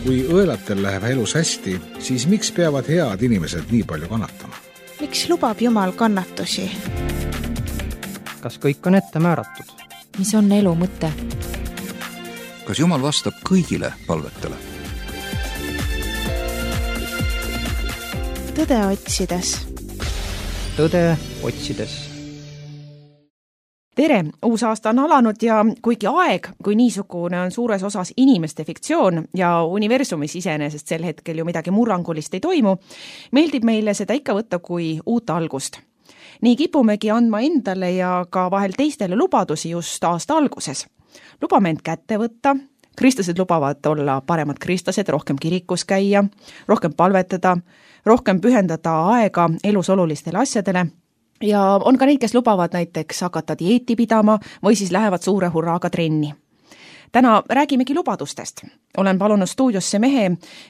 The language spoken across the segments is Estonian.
Kui õelatel läheb elus hästi, siis miks peavad head inimesed nii palju kannatama? Miks lubab Jumal kannatusi? Kas kõik on ette määratud? Mis on elu mõte? Kas Jumal vastab kõigile palvetele? Tõde otsides. Tõde otsides. Tere! Uus aasta on alanud ja kuigi aeg kui niisugune on suures osas inimeste fiktsioon ja universumis iseenesest sel hetkel ju midagi murrangulist ei toimu, meeldib meile seda ikka võtta kui uut algust. Nii kipumegi andma endale ja ka vahel teistele lubadusi just aasta alguses. Lubame end kätte võtta, kristlased lubavad olla paremad kristlased, rohkem kirikus käia, rohkem palvetada, rohkem pühendada aega elus olulistele asjadele. Ja on ka neid, kes lubavad näiteks hakata dieeti pidama või siis lähevad suure hurraaga trenni. Täna räägimegi lubadustest. Olen palunud stuudiosse mehe,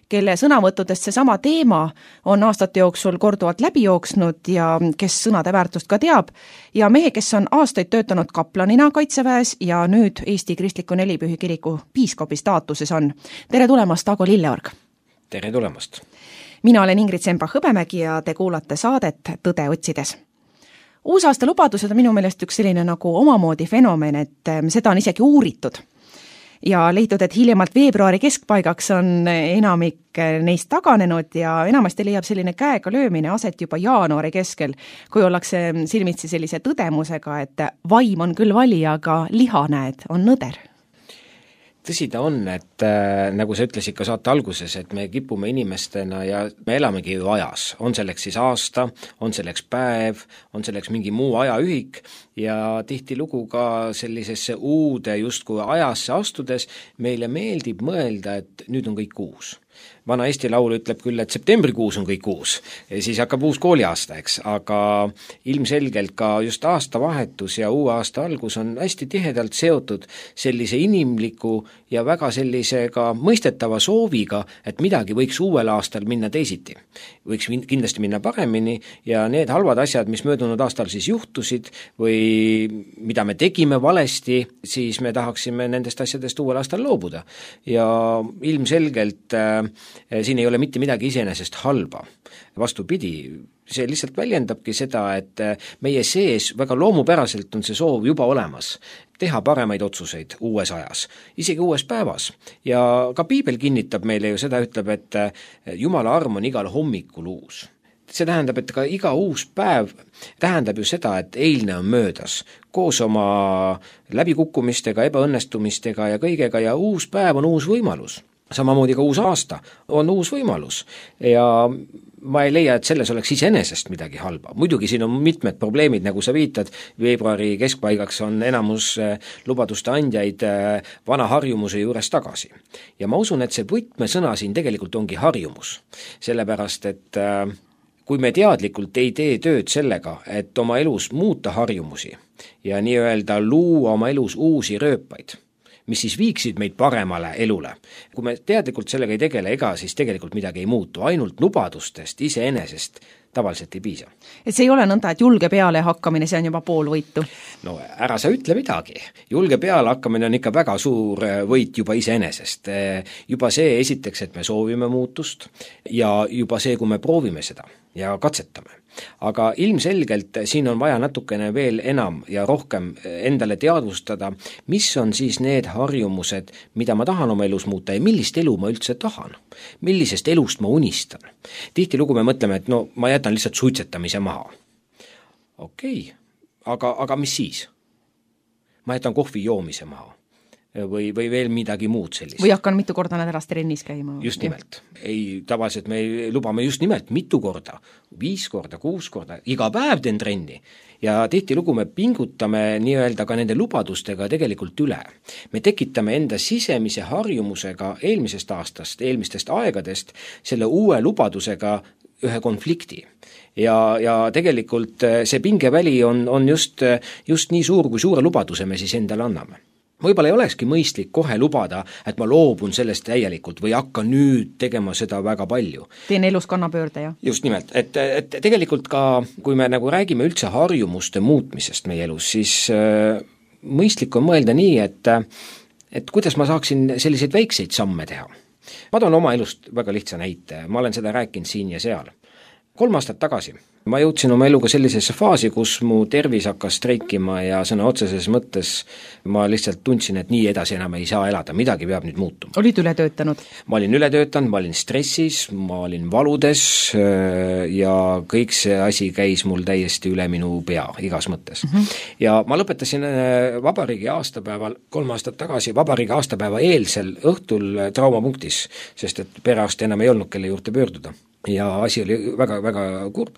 kelle sõnavõttudest seesama teema on aastate jooksul korduvalt läbi jooksnud ja kes sõnade väärtust ka teab. Ja mehe, kes on aastaid töötanud kaplanina Kaitseväes ja nüüd Eesti Kristliku Nelipühi kiriku piiskopi staatuses on. Tere tulemast, Ago Lilleorg! Tere tulemast! Mina olen Ingrid Semba-Hõbemägi ja te kuulate saadet Tõde otsides. Uusaasta lubadused on minu meelest üks selline nagu omamoodi fenomen, et seda on isegi uuritud. Ja leitud, et hiljemalt veebruari keskpaigaks on enamik neist taganenud ja enamasti leiab selline käega löömine aset juba jaanuari keskel, kui ollakse silmitsi sellise tõdemusega, et vaim on küll vali, aga liha näed on nõder. Tõsi ta on, et nagu sa ütlesid ka saate alguses, et me kipume inimestena ja me elamegi ju ajas. On selleks siis aasta, on selleks päev, on selleks mingi muu ajaühik ja tihtilugu ka sellisesse uude justkui ajasse astudes meile meeldib mõelda, et nüüd on kõik uus. Vana Eesti laul ütleb küll, et septembrikuus on kõik uus, ja siis hakkab uus kooliaasta, eks, aga ilmselgelt ka just aastavahetus ja uue aasta algus on hästi tihedalt seotud sellise inimliku ja väga sellisega mõistetava sooviga, et midagi võiks uuel aastal minna teisiti. Võiks kindlasti minna paremini ja need halvad asjad, mis möödunud aastal siis juhtusid või mida me tegime valesti, siis me tahaksime nendest asjadest uuel aastal loobuda. Ja ilmselgelt siin ei ole mitte midagi iseenesest halba. Vastupidi, see lihtsalt väljendabki seda, et meie sees väga loomupäraselt on see soov juba olemas, teha paremaid otsuseid uues ajas, isegi uues päevas. Ja ka Piibel kinnitab meile ju seda, ütleb, et Jumala arm on igal hommikul uus. See tähendab, et ka iga uus päev tähendab ju seda, et eilne on möödas, koos oma läbikukkumistega, ebaõnnestumistega ja kõigega ja uus päev on uus võimalus. Samamoodi ka uus aasta on uus võimalus ja ma ei leia, et selles oleks iseenesest midagi halba. Muidugi siin on mitmed probleemid, nagu sa viitad, veebruari keskpaigaks on enamus lubaduste andjaid vana harjumuse juures tagasi. Ja ma usun, et see võtmesõna siin tegelikult ongi harjumus, sellepärast, et kui me teadlikult ei tee tööd sellega, et oma elus muuta harjumusi ja nii-öelda luua oma elus uusi rööpaid, mis siis viiksid meid paremale elule. Kui me teadlikult sellega ei tegele, ega siis tegelikult midagi ei muutu, ainult lubadustest iseenesest tavaliselt ei piisa. Et see ei ole nõnda, et julge peale hakkamine, see on juba pool võitu? No ära sa ütle midagi. Julge peale hakkamine on ikka väga suur võit juba iseenesest. Juba see esiteks, et me soovime muutust ja juba see, kui me proovime seda ja katsetame. Aga ilmselgelt siin on vaja natukene veel enam ja rohkem endale teadvustada, mis on siis need harjumused, mida ma tahan oma elus muuta ja millist elu ma üldse tahan. Millisest elust ma unistan. Tihtilugu me mõtleme, et no ma jätan lihtsalt suitsetamise maha. Okei, aga mis siis? Ma jätan kohvi joomise maha. Või veel midagi muud sellist. Või hakkan mitu korda nädalas trennis käima. Just nimelt. Ei, tavaliselt me lubame just nimelt mitu korda, 5 korda, 6 korda, iga päev teen trenni. Ja tihtilugu me pingutame nii-öelda ka nende lubadustega tegelikult üle. Me tekitame enda sisemise harjumusega eelmisest aastast, eelmistest aegadest selle uue lubadusega ühe konflikti. Ja tegelikult see pingeväli on just nii suur, kui suure lubaduse me siis endale anname. Võib-olla ei olekski mõistlik kohe lubada, et ma loobun sellest täielikult või hakkan nüüd tegema seda väga palju. Teen elus kannapöörde, jah? Just nimelt, et tegelikult ka, kui me nagu räägime üldse harjumuste muutmisest meie elus, siis mõistlik on mõelda nii, et kuidas ma saaksin selliseid väikseid samme teha. Ma toon oma elust väga lihtsa näite, ma olen seda rääkinud siin ja seal. 3 aastat tagasi ma jõudsin oma eluga sellisesse faasi, kus mu tervis hakkas streikima ja sõna otseses mõttes ma lihtsalt tundsin, et nii edasi enam ei saa elada, midagi peab nüüd muutuma. Olid üle töötanud? Ma olin üle töötanud, ma olin stressis, ma olin valudes ja kõik see asi käis mul täiesti üle minu pea igas mõttes. Ja ma lõpetasin vabariigi aastapäeval 3 aastat tagasi, vabariigi aastapäeva eelsel õhtul traumapunktis, sest et perearst enam ei olnud, kelle juurde pöörduda. Ja asi oli väga, väga kurb.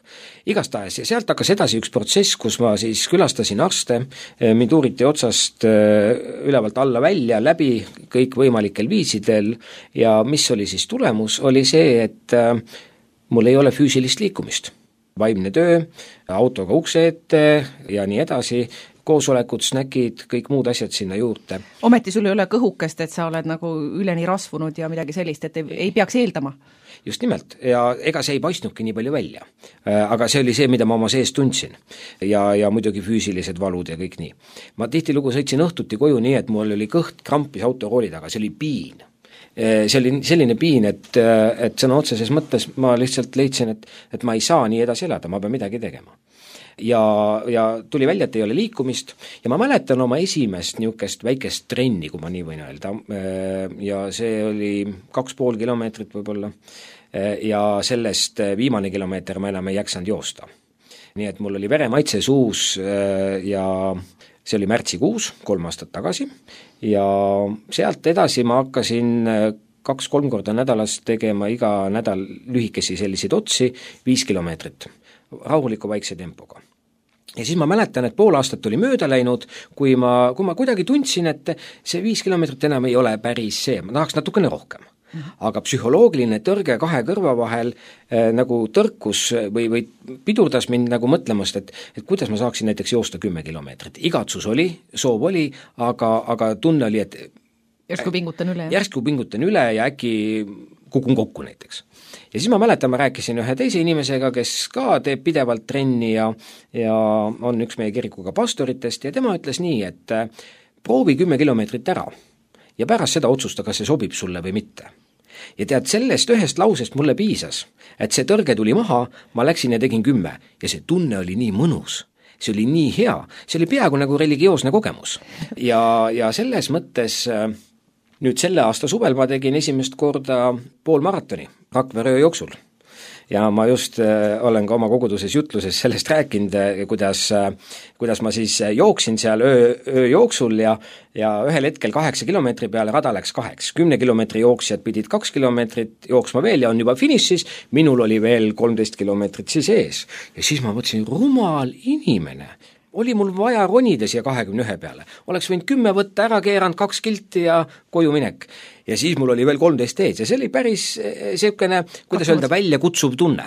Igastahes ja sealt hakkas edasi üks protsess, kus ma siis külastasin arste, mind uuriti otsast ülevalt alla välja läbi kõik võimalikel viisidel ja mis oli siis tulemus, oli see, et mul ei ole füüsilist liikumist. Vaimne töö, autoga ukse ette ja nii edasi, koosolekud, snäkid, kõik muud asjad sinna juurde. Ometi sul ei ole kõhukest, et sa oled nagu üleni rasvunud ja midagi sellist, et ei peaks eeldama? Just nimelt, ja ega see ei paistnudki nii palju välja. Aga see oli see, mida ma oma sees tundsin. Ja muidugi füüsilised valud ja kõik nii. Ma tihtilugu sõitsin õhtuti koju nii, et mul oli kõht krampis autorooli taga, see oli piin. See oli selline piin, et sõna otseses mõttes ma lihtsalt leidsin, et ma ei saa nii edasi elada, ma pean midagi tegema. Ja tuli välja, et ei ole liikumist ja ma mäletan oma esimest niisugust väikest trenni, kui ma nii võin öelda, ja see oli 2,5 kilomeetrit võib-olla ja sellest viimane kilomeeter ma enam ei jaksanud joosta. Nii et mul oli veremaitse suus ja see oli märtsikuus 3 aastat tagasi ja sealt edasi ma hakkasin 2-3 korda nädalas tegema iga nädal lühikesi selliseid otsi 5 kilomeetrit rahuliku vaikse tempoga. Ja siis ma mäletan, et 5 aastat oli mööda läinud, kui ma kuidagi tundsin, et see 5 kilomeetrit enam ei ole päris see, ma tahaks natukene rohkem. Aga psühholoogiline tõrge 2 kõrva vahel nagu tõrkus või pidurdas mind nagu mõtlemast, et kuidas ma saaksin näiteks joosta 10 kilomeetrit. Igatsus oli, soov oli, aga tunne oli, et järsku pingutan üle ja äkki kukun kokku näiteks. Ja siis ma mäletan, ma rääkisin ühe teise inimesega, kes ka teeb pidevalt trenni ja on üks meie kirikuga pastoritest ja tema ütles nii, et proovi 10 kilomeetrit ära ja pärast seda otsusta, kas see sobib sulle või mitte. Ja tead, sellest ühest lausest mulle piisas, et see tõrge tuli maha, ma läksin ja tegin 10 ja see tunne oli nii mõnus. See oli nii hea, see oli peaaegu nagu religioosne kogemus. Ja selles mõttes nüüd selle aasta suvel ma tegin esimest korda poolmaratoni Rakvere öö jooksul. Ja ma just olen ka oma koguduses jutluses sellest rääkinud, kuidas ma siis jooksin seal öö jooksul ja ühel hetkel 8 kilomeetri peale rada läks 2. 10 kilomeetri jooksjad pidid 2 kilomeetrit jooksma veel ja on juba finišis, minul oli veel 13 kilomeetrit siis ees. Ja siis ma mõtlesin, rumal inimene, oli mul vaja ronida siia 21 peale. Oleks võinud 10 võtta, ära keeranud 2 kilti ja koju minek. Ja siis mul oli veel 13 ees ja see oli päris selline, kuidas öelda, välja kutsuv tunne.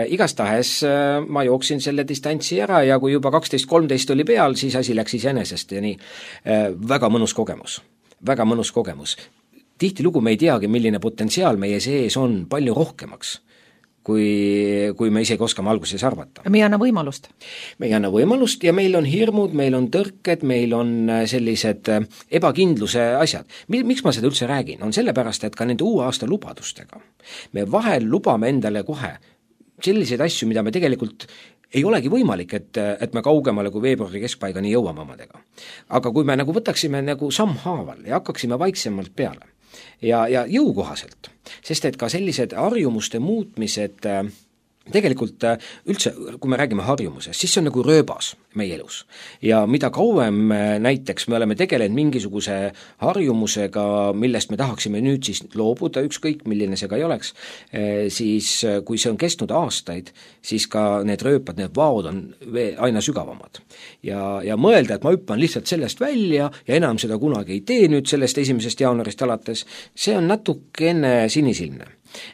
Igastahes ma jooksin selle distantsi ära ja kui juba 12-13 oli peal, siis asi läks iseenesest ja nii. Väga mõnus kogemus. Tihtilugu me ei teagi, milline potentsiaal meie sees on palju rohkemaks, kui me isegi oskame alguses arvata. Me ei anna võimalust. Me ei anna võimalust ja meil on hirmud, meil on tõrked, meil on sellised ebakindluse asjad. Miks ma seda üldse räägin? On sellepärast, et ka nende uue aasta lubadustega me vahel lubame endale kohe selliseid asju, mida me tegelikult ei olegi võimalik, et me kaugemale kui veebruari keskpaigani jõuame omadega. Aga kui me nagu võtaksime nagu sammhaaval ja hakkaksime vaiksemalt peale ja jõukohaselt, sest et ka sellised harjumuste muutmised tegelikult üldse, kui me räägime harjumusest, siis see on nagu rööbas meie elus. Ja mida kauem näiteks me oleme tegelenud mingisuguse harjumusega, millest me tahaksime nüüd siis loobuda, ükskõik milline see ka ei oleks, siis kui see on kestnud aastaid, siis ka need rööpad, need vaod on aina sügavamad. Ja mõelda, et ma hüppan lihtsalt sellest välja ja enam seda kunagi ei tee nüüd sellest 1. jaanuarist alates, see on natukene sinisilmne.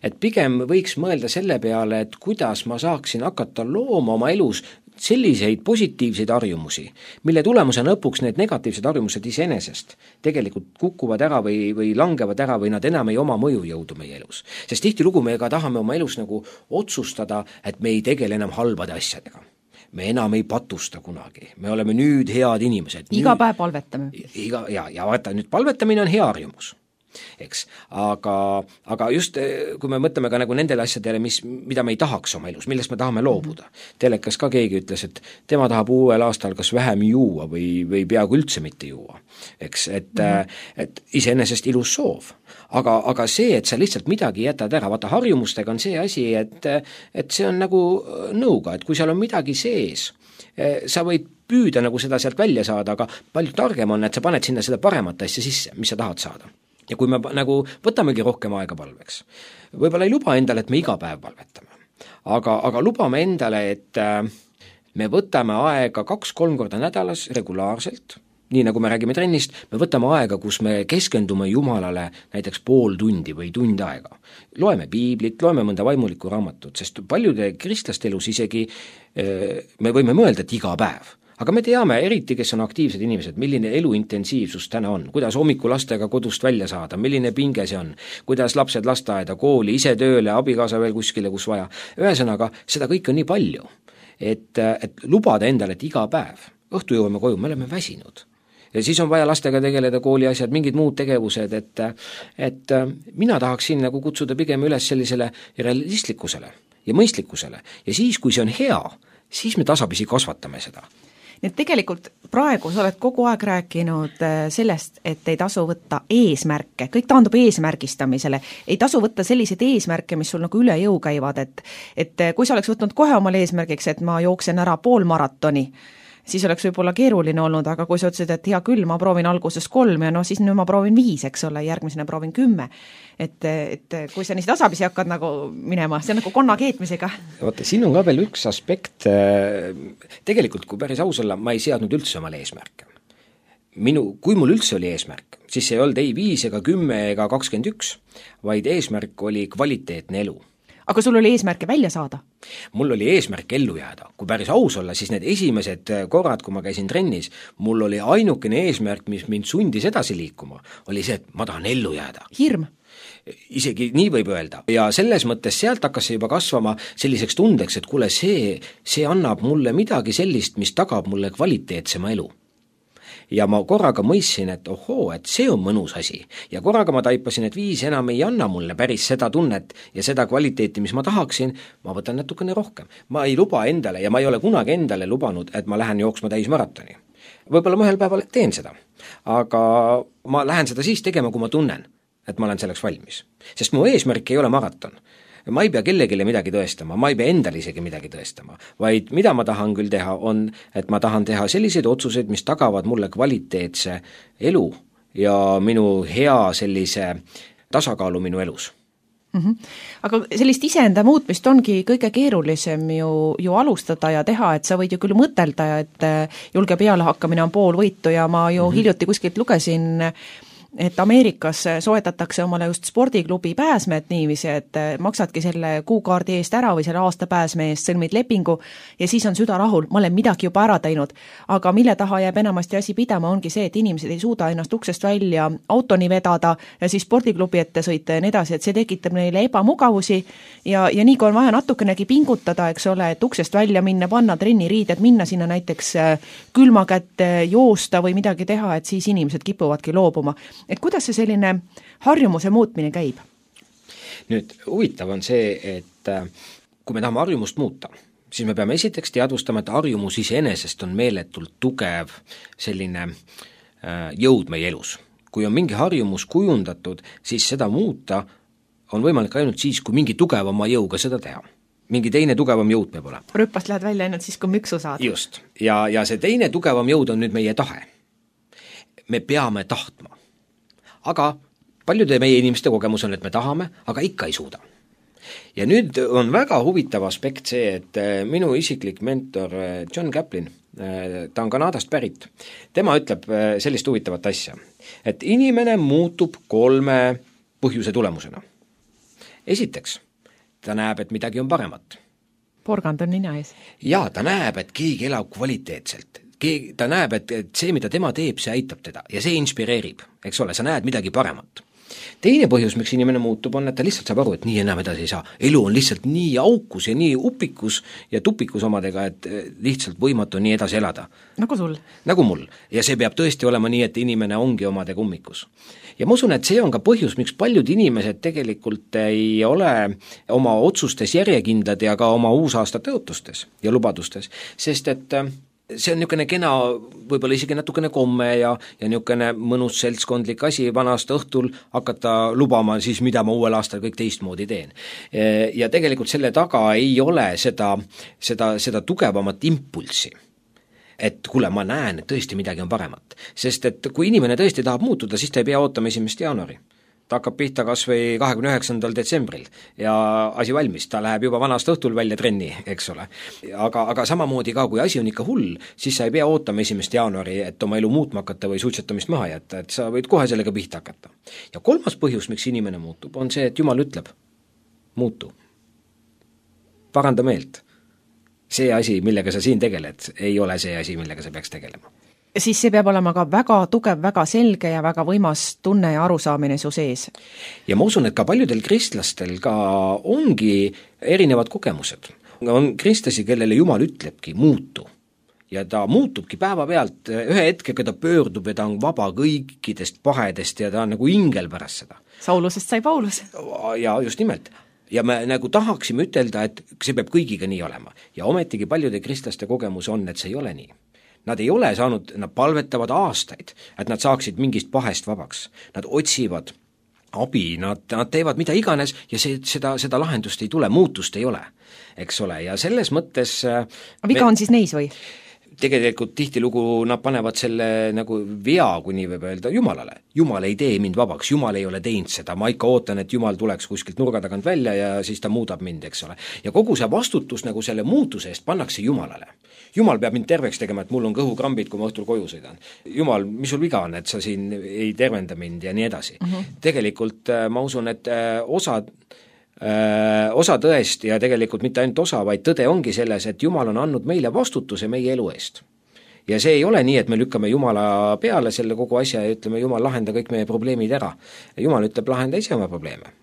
Et pigem võiks mõelda selle peale, et kuidas ma saaksin hakata looma oma elus selliseid positiivseid harjumusi, mille tulemusena lõpuks need negatiivsed harjumused iseenesest tegelikult kukuvad ära või langevad ära või nad enam ei oma mõjujõudu meie elus. Sest tihtilugu me ka tahame oma elus nagu otsustada, et me ei tegele enam halbade asjadega. Me enam ei patusta kunagi, me oleme nüüd head inimesed. Iga päev palvetame. Ja vaata, nüüd palvetamine on hea harjumus. eks. Aga just, kui me mõtleme ka nagu nendele asjadele, mida me ei tahaks oma elus, millest me tahame loobuda. Telekas ka keegi ütles, et tema tahab uuel aastal kas vähem juua või peaaegu üldse mitte juua, eks, et iseenesest ilus soov. Aga see, et sa lihtsalt midagi jätad ära, vaata harjumustega on see asi, et see on nagu nõuga, et kui seal on midagi sees, sa võid püüda nagu seda sealt välja saada, aga palju targem on, et sa paned sinna seda paremat asja sisse, mis sa tahad saada. Ja kui me nagu võtamegi rohkem aega palveks, võib-olla ei luba endale, et me iga päev palvetame, aga lubame endale, et me võtame aega 2-3 korda nädalas regulaarselt, nii nagu me räägime trennist, me võtame aega, kus me keskendume Jumalale näiteks pool tundi või tund aega. Loeme piiblit, loeme mõnda vaimulikku raamatut, sest paljude kristlaste elus isegi me võime mõelda, et iga päev. Aga me teame, eriti kes on aktiivsed inimesed, milline eluintensiivsus täna on, kuidas hommikul lastega kodust välja saada, milline pinge see on, kuidas lapsed lasteaeda, kooli, ise tööle, abikaasa veel kuskile, kus vaja. Ühesõnaga, seda kõik on nii palju, et lubada endale, et iga päev, õhtu jõuame koju, me oleme väsinud. Ja siis on vaja lastega tegeleda, kooli asjad, mingid muud tegevused, et mina tahaksin nagu kutsuda pigem üles sellisele realistlikkusele ja mõistlikkusele. Ja siis, kui see on hea, siis me tasapisi kasvatame seda. Nii et tegelikult praegu sa oled kogu aeg rääkinud sellest, et ei tasu võtta eesmärke, kõik taandub eesmärgistamisele, ei tasu võtta selliseid eesmärke, mis sul nagu üle jõu käivad, et kui sa oleks võtnud kohe omal eesmärgiks, et ma jooksen ära poolmaratoni, siis oleks võib-olla keeruline olnud, aga kui sa ütlesid, et hea küll, ma proovin alguses 3 ja no siis nüüd ma proovin 5, eks ole, järgmisena proovin 10. Et kui sa nii tasapisi hakkad nagu minema, see on nagu konna keetmisega. Vaata, siin on ka veel üks aspekt, tegelikult kui päris aus olla, ma ei seadnud üldse omale eesmärke. Kui mul üldse oli eesmärk, siis see ei olnud ei 5 ega 10 ega 21, vaid eesmärk oli kvaliteetne elu. Aga sul oli eesmärke välja saada? Mul oli eesmärk ellu jääda. Kui päris aus olla, siis need esimesed korrad, kui ma käisin trennis, mul oli ainukene eesmärk, mis mind sundis edasi liikuma, oli see, et ma tahan ellu jääda. Hirm? Isegi nii võib öelda. Ja selles mõttes sealt hakkas see juba kasvama selliseks tundeks, et kuule, see annab mulle midagi sellist, mis tagab mulle kvaliteetsema elu. Ja ma korraga mõistsin, et ohoo, et see on mõnus asi. Ja korraga ma taipasin, et 5 enam ei anna mulle päris seda tunnet ja seda kvaliteeti, mis ma tahaksin, ma võtan natukene rohkem. Ma ei luba endale ja ma ei ole kunagi endale lubanud, et ma lähen jooksma täismaratoni. Võib-olla ma ühel päeval teen seda, aga ma lähen seda siis tegema, kui ma tunnen, et ma olen selleks valmis. Sest mu eesmärk ei ole maraton. Ma ei pea kellegile midagi tõestama, ma ei pea endale isegi midagi tõestama, vaid mida ma tahan küll teha on, et ma tahan teha selliseid otsuseid, mis tagavad mulle kvaliteetse elu ja minu hea sellise tasakaalu minu elus. Aga sellist iseenda muutmist ongi kõige keerulisem ju alustada ja teha, et sa võid ju küll mõtelda, et julge peale hakkamine on pool võitu ja ma ju hiljuti kuskilt lugesin, et Ameerikas soetatakse omale just spordiklubi pääsmed niiviisi, et maksadki selle kuukaardi eest ära või selle aasta pääsme eest, sõlmid lepingu ja siis on süda rahul, ma olen midagi juba ära teinud. Aga mille taha jääb enamasti asi pidama ongi see, et inimesed ei suuda ennast uksest välja autoni vedada ja siis spordiklubi ette sõita ja nii edasi, et see tekitab neile ebamugavusi ja nii kui on vaja natukenegi pingutada, eks ole, et uksest välja minna, panna trenniriided, minna sinna näiteks külma kätte joosta või midagi teha, et siis inimesed kipuvadki loobuma. Et kuidas see selline harjumuse muutmine käib? Nüüd huvitav on see, et kui me tahame harjumust muuta, siis me peame esiteks teadvustama, et harjumus iseenesest on meeletult tugev selline jõud meie elus. Kui on mingi harjumus kujundatud, siis seda muuta on võimalik ainult siis, kui mingi tugevama jõuga seda teha. Mingi teine tugevam jõud peab olema. Rüppast lähed välja ainult siis, kui müksu saad. Just. Ja see teine tugevam jõud on nüüd meie tahe. Me peame tahtma. Aga paljude meie inimeste kogemus on, et me tahame, aga ikka ei suuda. Ja nüüd on väga huvitav aspekt see, et minu isiklik mentor John Kaplan, ta on Kanadast pärit, tema ütleb sellist huvitavat asja, et inimene muutub 3 põhjuse tulemusena. Esiteks, ta näeb, et midagi on paremat. Porgand on nina ees. Ja ta näeb, et keegi elab kvaliteetselt. Ta näeb, et see, mida tema teeb, see aitab teda ja see inspireerib, eks ole, sa näed midagi paremat. Teine põhjus, miks inimene muutub, on, et ta lihtsalt saab aru, et nii enam edasi ei saa. Elu on lihtsalt nii aukus ja nii upikus ja tupikus omadega, et lihtsalt võimatu nii edasi elada. Nagu sul? Nagu mul. Ja see peab tõesti olema nii, et inimene ongi omadega ummikus. Ja ma usun, et see on ka põhjus, miks paljud inimesed tegelikult ei ole oma otsustes järjekindlad ja ka oma uusaasta tõotustes ja lubadustes, sest et see on niisugune kena, võib-olla isegi natukene komme ja niisugune mõnus seltskondlik asi vanast õhtul hakata lubama siis, mida ma uuel aastal kõik teistmoodi teen. Ja tegelikult selle taga ei ole seda tugevamat impulssi, et kuule, ma näen, et tõesti midagi on paremat. Sest et kui inimene tõesti tahab muutuda, siis ta ei pea ootama 1. jaanuari. Ta hakkab pihta kas või 29. detsembril ja asi valmis, ta läheb juba vanast õhtul välja trenni, eks ole. Aga samamoodi ka, kui asi on ikka hull, siis sa ei pea ootama 1. jaanuari, et oma elu muutma hakata või suitsetamist maha jätta, et sa võid kohe sellega pihta hakata. Ja kolmas põhjus, miks inimene muutub, on see, et Jumal ütleb, muutu. Paranda meelt. See asi, millega sa siin tegeled, ei ole see asi, millega sa peaks tegelema. Siis see peab olema ka väga tugev, väga selge ja väga võimas tunne ja arusaamine su sees. Ja ma usun, et ka paljudel kristlastel ka ongi erinevad kogemused. On kristlasi, kellele Jumal ütlebki muutu. Ja ta muutubki päeva pealt, ühe hetkega ta pöördub ja ta on vaba kõikidest pahedest ja ta on nagu ingel pärast seda. Saulusest sai Paulus. Ja just nimelt. Ja me nagu tahaksime ütelda, et see peab kõigiga nii olema. Ja ometigi paljude kristlaste kogemus on, et see ei ole nii. Nad ei ole saanud, nad palvetavad aastaid, et nad saaksid mingist pahest vabaks. Nad otsivad abi, nad teevad mida iganes ja seda lahendust ei tule, muutust ei ole, eks ole, ja selles mõttes viga on siis neis või? Tegelikult tihtilugu nad panevad selle nagu vea, kui nii võib öelda, Jumalale. Jumal ei tee mind vabaks, Jumal ei ole teinud seda, ma ikka ootan, et Jumal tuleks kuskilt nurga tagant välja ja siis ta muudab mind, eks ole. Ja kogu see vastutus nagu selle muutuse eest pannakse Jumalale. Jumal peab mind terveks tegema, et mul on kõhukrambid, kui ma õhtul koju sõidan. Jumal, mis sul viga on, et sa siin ei tervenda mind ja nii edasi. Tegelikult ma usun, et osa tõest ja tegelikult mitte ainult osa, vaid tõde ongi selles, et Jumal on andnud meile vastutuse meie elu eest. Ja see ei ole nii, et me lükkame Jumala peale selle kogu asja ja ütleme, Jumal, lahenda kõik meie probleemid ära. Jumal ütleb, lahenda ise oma probleeme.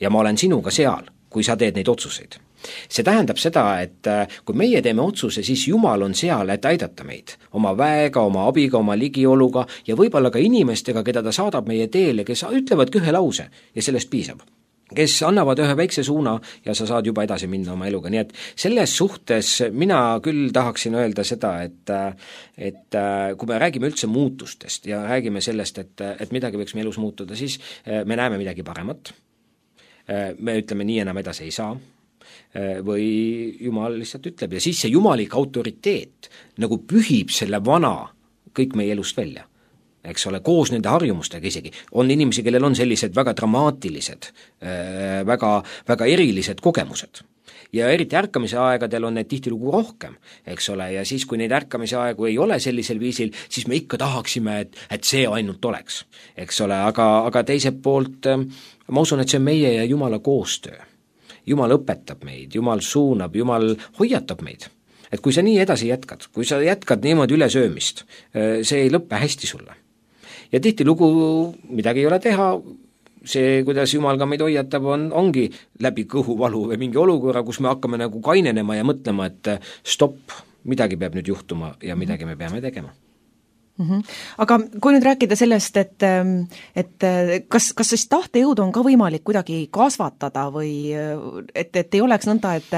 Ja ma olen sinuga seal, kui sa teed neid otsuseid. See tähendab seda, et kui meie teeme otsuse, siis Jumal on seal, et aidata meid oma väega, oma abiga, oma ligioluga ja võib-olla ka inimestega, keda ta saadab meie teele, kes ütlevadki ühe lause ja sellest piisab. Kes annavad ühe väikse suuna ja sa saad juba edasi minna oma eluga. Nii et selles suhtes mina küll tahaksin öelda seda, et kui me räägime üldse muutustest ja räägime sellest, et midagi võiks me elus muutuda, siis me näeme midagi paremat. Me ütleme, nii enam edasi ei saa. Või Jumal lihtsalt ütleb ja siis see jumalik autoriteet nagu pühib selle vana kõik meie elust välja, eks ole, koos nende harjumustega isegi. On inimesi, kellel on sellised väga dramaatilised, väga, väga erilised kogemused. Ja eriti ärkamise aegadel on need tihtilugu rohkem, eks ole, ja siis, kui neid ärkamise aegu ei ole sellisel viisil, siis me ikka tahaksime, et see ainult oleks, eks ole, aga teiselt poolt ma usun, et see on meie ja Jumala koostöö. Jumal õpetab meid, Jumal suunab, Jumal hoiatab meid. Et kui sa nii edasi jätkad, kui sa jätkad niimoodi ülesöömist, see ei lõppe hästi sulle. Ja tihtilugu midagi ei ole teha, see, kuidas Jumal ka meid hoiatab, ongi läbi kõhuvalu või mingi olukorra, kus me hakkame nagu kainenema ja mõtlema, et stopp, midagi peab nüüd juhtuma ja midagi me peame tegema. Aga kui nüüd rääkida sellest, et kas siis tahtejõudu on ka võimalik kuidagi kasvatada või et ei oleks nõnda, et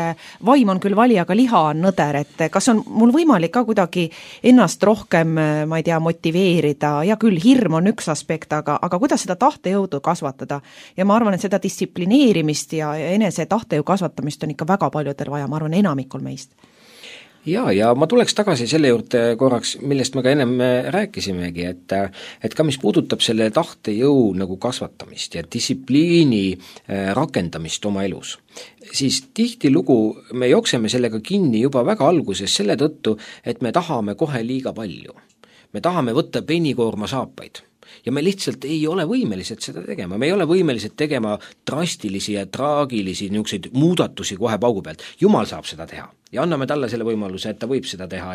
vaim on küll vali, aga liha on nõder, et kas on mul võimalik ka kuidagi ennast rohkem, ma ei tea, motiveerida ja küll hirm on üks aspekt, aga kuidas seda tahtejõudu kasvatada? Ja ma arvan, et seda distsiplineerimist ja enese tahtejõu kasvatamist on ikka väga paljudel vaja, ma arvan, enamikul meist. Ja ma tuleks tagasi selle juurde korraks, millest me ka ennem rääkisimegi, et ka mis puudutab selle tahtejõu nagu kasvatamist ja distsipliini rakendamist oma elus, siis tihtilugu me jookseme sellega kinni juba väga alguses selle tõttu, et me tahame kohe liiga palju. Me tahame võtta penikoorma saapaid. ja me lihtsalt ei ole võimelised seda tegema, me ei ole võimelised tegema drastilisi ja traagilisi niisuguseid muudatusi kohe paugu pealt. Jumal saab seda teha ja anname talle selle võimaluse, et ta võib seda teha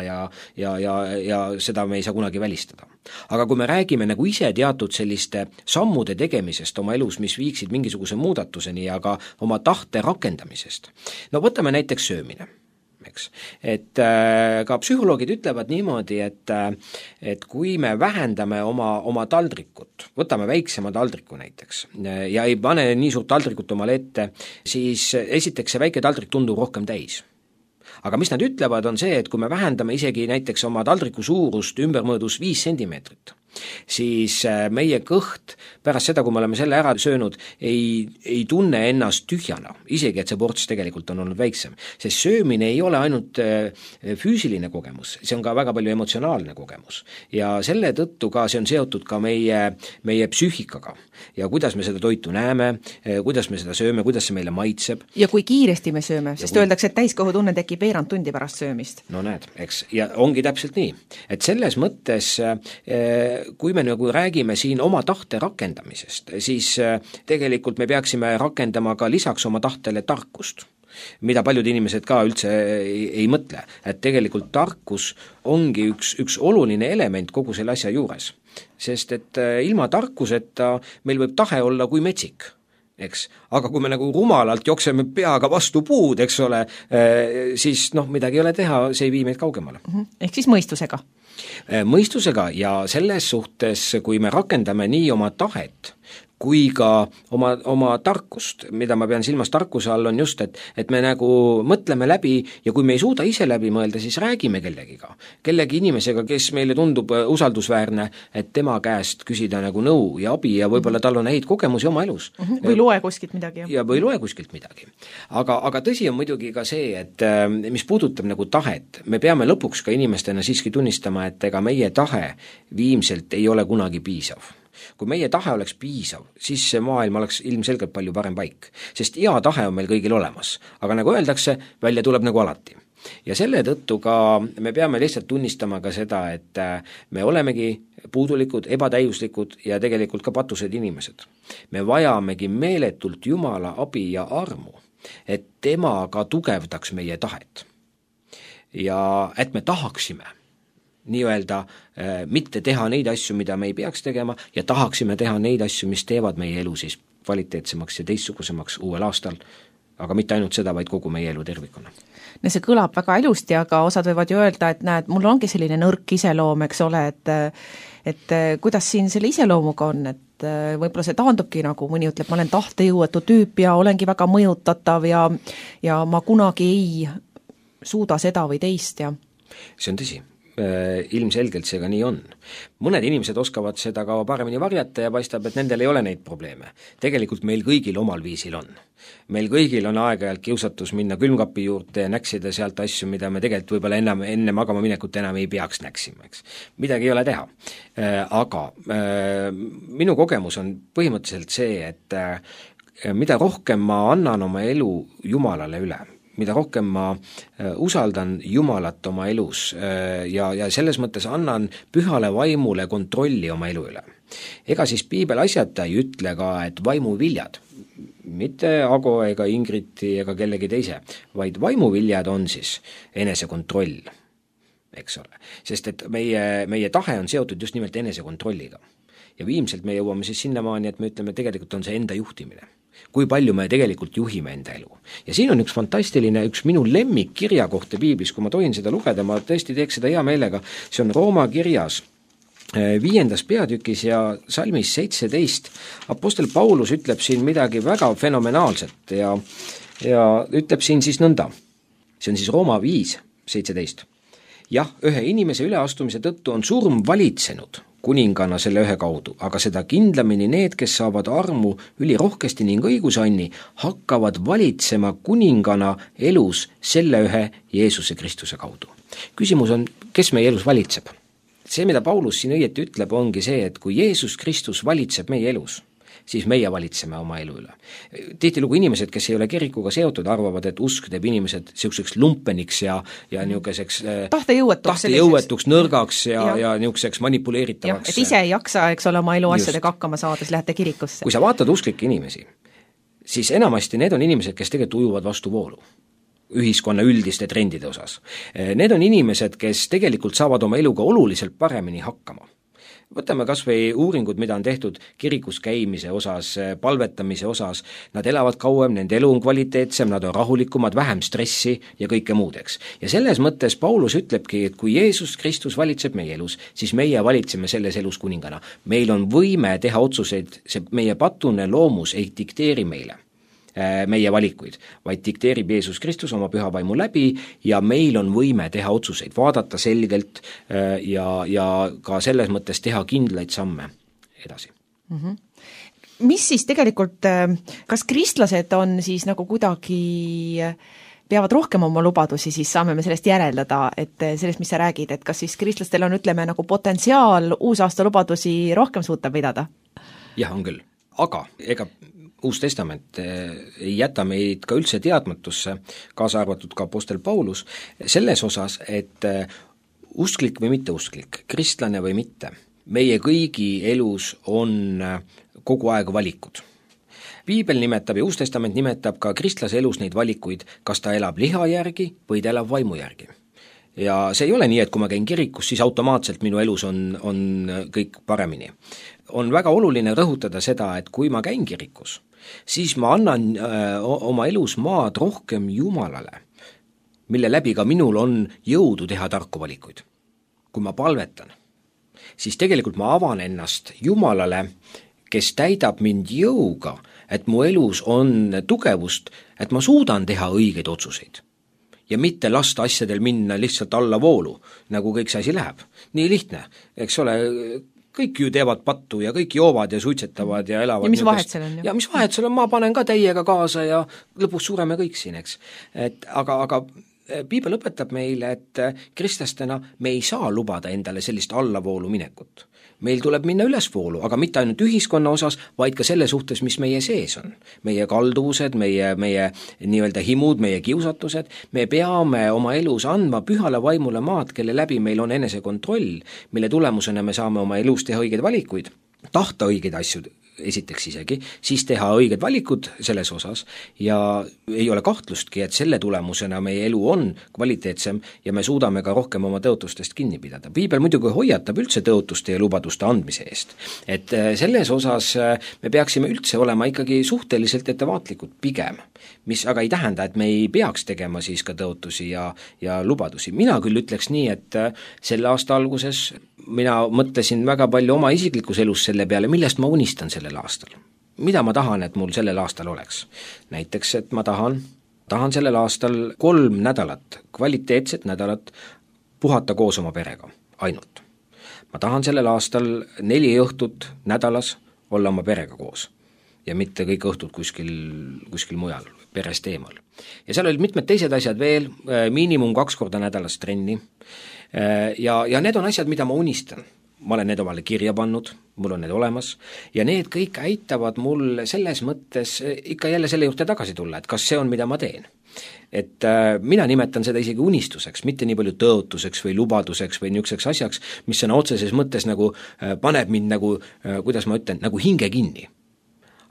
ja seda me ei saa kunagi välistada. Aga kui me räägime nagu ise teatud selliste sammude tegemisest oma elus, mis viiksid mingisuguse muudatuseni ja ka oma tahte rakendamisest, no võtame näiteks söömine. Eks. Et ka psühholoogid ütlevad niimoodi, et kui me vähendame oma taldrikut, võtame väiksema taldriku näiteks ja ei pane nii suurt taldrikut omale ette, siis esiteks see väike taldrik tundub rohkem täis. Aga mis nad ütlevad, on see, et kui me vähendame isegi näiteks oma taldriku suurust ümbermõõdus 5 sentimeetrit, siis meie kõht pärast seda, kui me oleme selle ära söönud, ei tunne ennast tühjana, isegi et see ports tegelikult on olnud väiksem. Sest söömine ei ole ainult füüsiline kogemus, see on ka väga palju emotsionaalne kogemus. Ja selle tõttu ka see on seotud ka meie psüühikaga ja kuidas me seda toitu näeme, kuidas me seda sööme, kuidas see meile maitseb. Ja kui kiiresti me sööme, sest öeldakse, et täiskohutunne tekib veerand tundi pärast söömist. No näed, eks, ja ongi täpselt nii. Et selles mõttes kui me nagu räägime siin oma tahte rakendamisest, siis tegelikult me peaksime rakendama ka lisaks oma tahtele tarkust, mida paljud inimesed ka üldse ei mõtle, et tegelikult tarkus ongi üks oluline element kogu selle asja juures, sest et ilma tarkuseta meil võib tahe olla kui metsik, eks, aga kui me nagu rumalalt jookseme peaga vastu puud, eks ole, siis midagi ei ole teha, see ei vii meid kaugemale. Ehk siis mõistusega? Mõistusega ja selles suhtes, kui me rakendame nii oma tahet, kui ka oma tarkust, mida ma pean silmas tarkuse all, on just, et me nagu mõtleme läbi ja kui me ei suuda ise läbi mõelda, siis räägime kellegi inimesega, kes meile tundub usaldusväärne, et tema käest küsida nagu nõu ja abi ja võib-olla tal on häid kogemusi oma elus. Või loe kuskilt midagi. Ja või loe kuskilt midagi. Aga tõsi on muidugi ka see, et mis puudutab nagu tahet, me peame lõpuks ka inimestena siiski tunnistama, et ega meie tahe viimselt ei ole kunagi piisav. Kui meie tahe oleks piisav, siis see maailm oleks ilmselgelt palju parem paik, sest hea tahe on meil kõigil olemas, aga nagu öeldakse, välja tuleb nagu alati. Ja selle tõttu ka me peame lihtsalt tunnistama ka seda, et me olemegi puudulikud, ebatäiuslikud ja tegelikult ka patused inimesed. Me vajamegi meeletult Jumala abi ja armu, et tema ka tugevdaks meie tahet. Ja et me tahaksime nii-öelda mitte teha neid asju, mida me ei peaks tegema ja tahaksime teha neid asju, mis teevad meie elu siis kvaliteetsemaks ja teistsugusemaks uuel aastal, aga mitte ainult seda, vaid kogu meie elu tervikuna. No see kõlab väga ilusti, aga osad võivad ju öelda, et näed, mul ongi selline nõrk iseloom, eks ole, et kuidas siin selle iseloomuga on, et võib-olla see taandubki nagu mõni ütleb, ma olen tahtejõuetu tüüp ja olengi väga mõjutatav ja ma kunagi ei suuda seda või teist ja see on tõsi. Ilmselgelt see ka nii on. Mõned inimesed oskavad seda ka paremini varjata ja paistab, et nendel ei ole neid probleeme. Tegelikult meil kõigil omal viisil on. Meil kõigil on aeg-ajalt kiusatus minna külmkapi juurde ja näksida sealt asju, mida me tegelikult võib-olla enne magama minekut enam ei peaks näksima, eks. Midagi ei ole teha. Aga minu kogemus on põhimõtteliselt see, et mida rohkem ma annan oma elu Jumalale üle, mida rohkem ma usaldan Jumalat oma elus ja selles mõttes annan pühale vaimule kontrolli oma elu üle. Ega siis piibel asjata ei ütle ka, et vaimuviljad, mitte Ago ega Ingriti ega kellegi teise, vaid vaimuviljad on siis enesekontroll, eks ole. Sest et meie tahe on seotud just nimelt enesekontrolliga. Ja viimselt me jõuame siis sinnamaani, et me ütleme, tegelikult on see enda juhtimine. Kui palju me tegelikult juhime enda elu. Ja siin on üks fantastiline, üks minu lemmik kirja kohta piiblis, kui ma tohin seda lugeda, ma tõesti teeks seda hea meelega, see on Rooma kirjas 5. peatükis ja salmis 17. Apostel Paulus ütleb siin midagi väga fenomenaalset ja ütleb siin siis nõnda. See on siis Rooma 5:17. Jah, ühe inimese üleastumise tõttu on surm valitsenud kuningana selle ühe kaudu, aga seda kindlamini need, kes saavad armu ülirohkesti ning õigusanni, hakkavad valitsema kuningana elus selle ühe Jeesuse Kristuse kaudu. Küsimus on, kes meie elus valitseb? See, mida Paulus siin õieti ütleb, ongi see, et kui Jeesus Kristus valitseb meie elus, siis meie valitseme oma elu üle. Tihtilugu inimesed, kes ei ole kirikuga seotud, arvavad, et usk teeb inimesed niisuguseks lumpeniks ja niisuguseks tahtejõuetuks, nõrgaks ja niisuguseks manipuleeritavaks. Et ise ei jaksa, eks ole, oma elu asjadega hakkama saades lähete kirikusse. Kui sa vaatad usklikke inimesi, siis enamasti need on inimesed, kes tegelikult ujuvad vastu voolu ühiskonna üldiste trendide osas. Need on inimesed, kes tegelikult saavad oma eluga oluliselt paremini hakkama. Võtame kas või uuringud, mida on tehtud kirikus käimise osas, palvetamise osas, nad elavad kauem, nende elu on kvaliteetsem, nad on rahulikumad, vähem stressi ja kõike muudeks. Ja selles mõttes Paulus ütlebki, et kui Jeesus Kristus valitseb meie elus, siis meie valitseme selles elus kuningana. Meil on võime teha otsuseid, see meie patune loomus ei dikteeri meile meie valikuid, vaid dikteerib Jeesus Kristus oma püha vaimu läbi ja meil on võime teha otsuseid, vaadata selgelt ja ka selles mõttes teha kindlaid samme edasi. Mis siis tegelikult, kas kristlased on siis nagu kuidagi peavad rohkem oma lubadusi, siis saame me sellest järeldada, et sellest, mis sa räägid, et kas siis kristlastel on, ütleme, nagu potentsiaal uusaasta lubadusi rohkem suuta pidada? Jah, on küll, aga ega Uus Testament ei jäta meid ka üldse teadmatusse, kaasa arvatud ka apostel Paulus, selles osas, et usklik või mitteusklik, kristlane või mitte, meie kõigi elus on kogu aeg valikud. Piibel nimetab ja Uus Testament nimetab ka kristlase elus neid valikuid, kas ta elab liha järgi või ta elab vaimu järgi. Ja see ei ole nii, et kui ma käin kirikus, siis automaatselt minu elus on kõik paremini. On väga oluline rõhutada seda, et kui ma käin kirikus, siis ma annan oma elus maad rohkem Jumalale, mille läbi ka minul on jõudu teha tarku valikuid. Kui ma palvetan, siis tegelikult ma avan ennast Jumalale, kes täidab mind jõuga, et mu elus on tugevust, et ma suudan teha õigeid otsuseid. Ja mitte lasta asjadel minna lihtsalt alla voolu, nagu kõik see asi läheb. Nii lihtne, eks ole, kõik ju teevad pattu ja kõik joovad ja suitsetavad ja elavad. Ja mis vahet seal on? Ja mis vahet seal on, ma panen ka teiega kaasa ja lõpus sureme kõik siin, eks. Aga Piibel õpetab meile, et kristlastena me ei saa lubada endale sellist allavoolu minekut. Meil tuleb minna ülesvoolu, aga mitte ainult ühiskonna osas, vaid ka selle suhtes, mis meie sees on. Meie kalduvused, meie nii-öelda himud, meie kiusatused, me peame oma elus andma pühale vaimule maad, kelle läbi meil on enesekontroll, mille tulemusena me saame oma elus teha õigeid valikuid, tahta õigeid asju esiteks isegi, siis teha õiged valikud selles osas ja ei ole kahtlustki, et selle tulemusena meie elu on kvaliteetsem ja me suudame ka rohkem oma tõotustest kinni pidada. Piibel muidugi hoiatab üldse tõotuste ja lubaduste andmise eest. Et selles osas me peaksime üldse olema ikkagi suhteliselt ettevaatlikud pigem, mis aga ei tähenda, et me ei peaks tegema siis ka tõotusi ja lubadusi. Mina küll ütleks nii, et selle aasta alguses mina mõtlesin väga palju oma isiklikus elus selle peale, millest ma unistan sellel aastal. Mida ma tahan, et mul sellel aastal oleks? Näiteks, et ma tahan sellel aastal 3 nädalat, kvaliteetset nädalat puhata koos oma perega, ainult. Ma tahan sellel aastal 4 õhtut nädalas olla oma perega koos ja mitte kõik õhtud kuskil mujal, perest eemal. Ja seal olid mitmed teised asjad veel, miinimum 2 korda nädalas trenni ja need on asjad, mida ma unistan. Ma olen need omale kirja pannud, mul on need olemas ja need kõik aitavad mul selles mõttes ikka jälle selle juurde tagasi tulla, et kas see on, mida ma teen. Et mina nimetan seda isegi unistuseks, mitte nii palju tõotuseks või lubaduseks või niisuguseks asjaks, mis sõna otseses mõttes nagu paneb mind nagu, kuidas ma ütlen, nagu hinge kinni.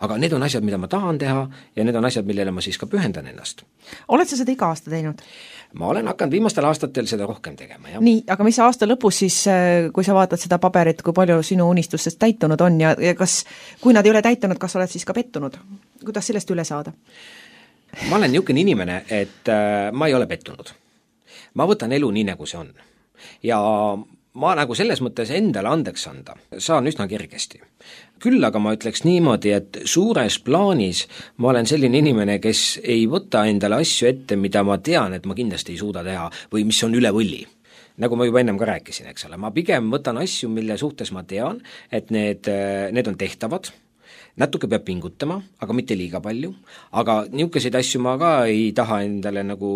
Aga need on asjad, mida ma tahan teha ja need on asjad, millele ma siis ka pühendan ennast. Oled sa seda iga aasta teinud? Ma olen hakanud viimastel aastatel seda rohkem tegema, jah. Nii, aga mis aasta lõpus siis, kui sa vaatad seda paberit, kui palju sinu unistustest täitunud on ja kas, kui nad ei ole täitunud, kas oled siis ka pettunud? Kuidas sellest üle saada? Ma olen niisugune inimene, et ma ei ole pettunud. Ma võtan elu nii, nagu see on. Ja ma nagu selles mõttes endale andeks anda saan üsna kergesti. Küll aga ma ütleks niimoodi, et suures plaanis ma olen selline inimene, kes ei võta endale asju ette, mida ma tean, et ma kindlasti ei suuda teha või mis on üle võlli. Nagu ma juba ennem ka rääkisin, eks ole, ma pigem võtan asju, mille suhtes ma tean, et need on tehtavad, natuke peab pingutama, aga mitte liiga palju, aga niisuguseid asju ma ka ei taha endale nagu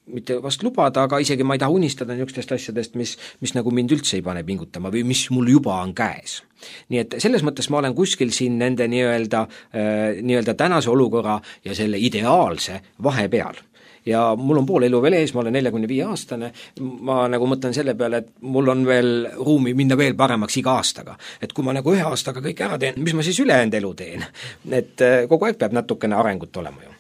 mitte vast lubada, aga isegi ma ei taha unistada niisugustest asjadest, mis nagu mind üldse ei pane pingutama või mis mul juba on käes. Nii et selles mõttes ma olen kuskil siin nende nii-öelda tänase olukorra ja selle ideaalse vahepeal. Ja mul on pool elu veel ees, ma olen 45-aastane, ma nagu mõtlen selle peale, et mul on veel ruumi minna veel paremaks iga aastaga. Et kui ma nagu 1 aastaga kõik ära teen, mis ma siis ülejäänud elu teen? Et kogu aeg peab natukene arengut olema ju.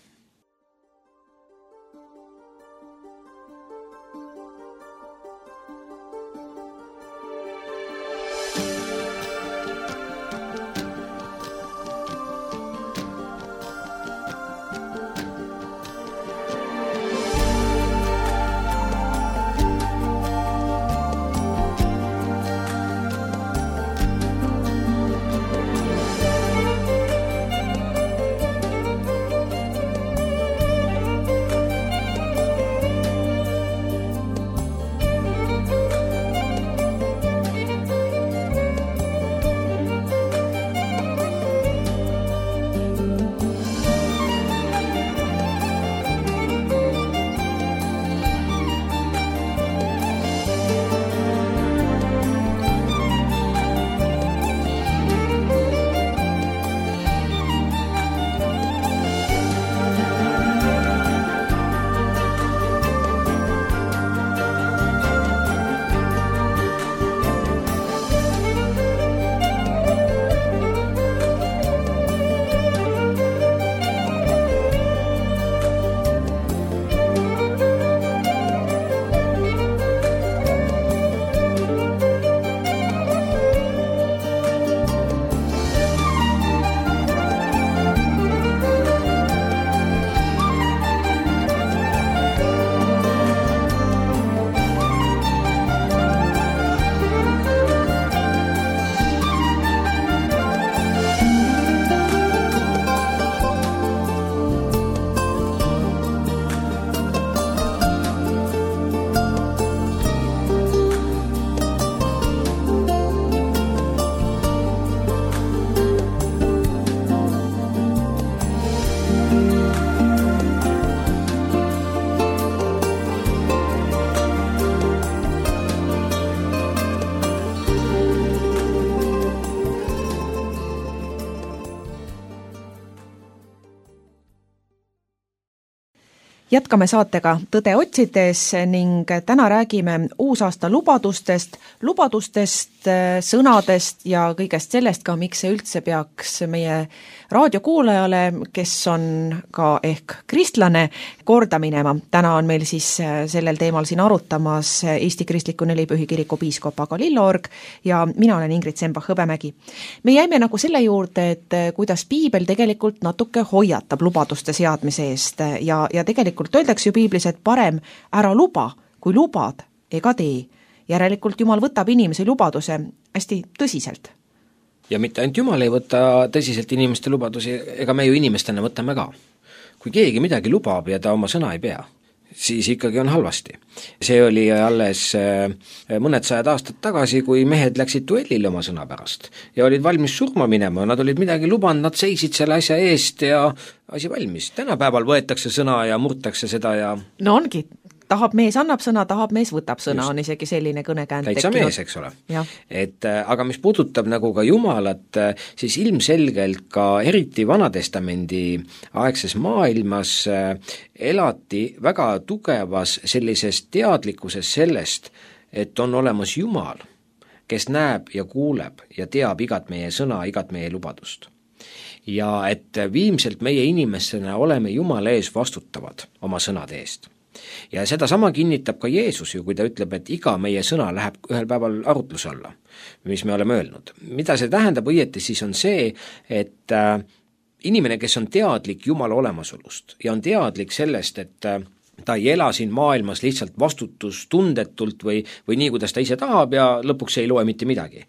Jätkame saatega Tõde otsides ning täna räägime uusaasta lubadustest, sõnadest ja kõigest sellest ka, miks see üldse peaks meie raadiokuulajale, kes on ka ehk kristlane, korda minema. Täna on meil siis sellel teemal siin arutamas Eesti Kristliku Nelipühi Kiriku piiskop Ago Lillorg ja mina olen Ingrid Sembach-Hõbemägi. Me jäime nagu selle juurde, et kuidas piibel tegelikult natuke hoiatab lubaduste seadmise eest ja tegelikult öeldakse ju piiblis, et parem ära luba, kui lubad ega tee. Järelikult Jumal võtab inimese lubaduse hästi tõsiselt. Ja mitte ainult Jumal ei võta tõsiselt inimeste lubadusi, ega me ju inimestena võtame ka. Kui keegi midagi lubab ja ta oma sõna ei pea, siis ikkagi on halvasti. See oli alles mõned 100 aastat tagasi, kui mehed läksid duellile oma sõna pärast ja olid valmis surma minema, nad olid midagi lubanud, nad seisid selle asja eest ja asi valmis. Tänapäeval võetakse sõna ja murtakse seda ja... No ongi, tahab mees annab sõna, tahab mees võtab sõna, just. On isegi selline kõnekäänd täitsa tekkinud. Mees, eks ole. Aga mis puudutab nagu ka Jumalat, siis ilmselgelt ka eriti Vanatestamendi aegses maailmas elati väga tugevas sellises teadlikkuses sellest, et on olemas Jumal, kes näeb ja kuuleb ja teab igat meie sõna, igat meie lubadust. Ja et viimselt meie inimestena oleme Jumala ees vastutavad oma sõnade eest. Ja seda sama kinnitab ka Jeesus ju, kui ta ütleb, et iga meie sõna läheb ühel päeval arutluse alla, mis me oleme öelnud. Mida see tähendab õieti, siis on see, et inimene, kes on teadlik Jumala olemasolust ja on teadlik sellest, et ta ei ela siin maailmas lihtsalt vastutustundetult või nii, kuidas ta ise tahab ja lõpuks ei loe mitte midagi.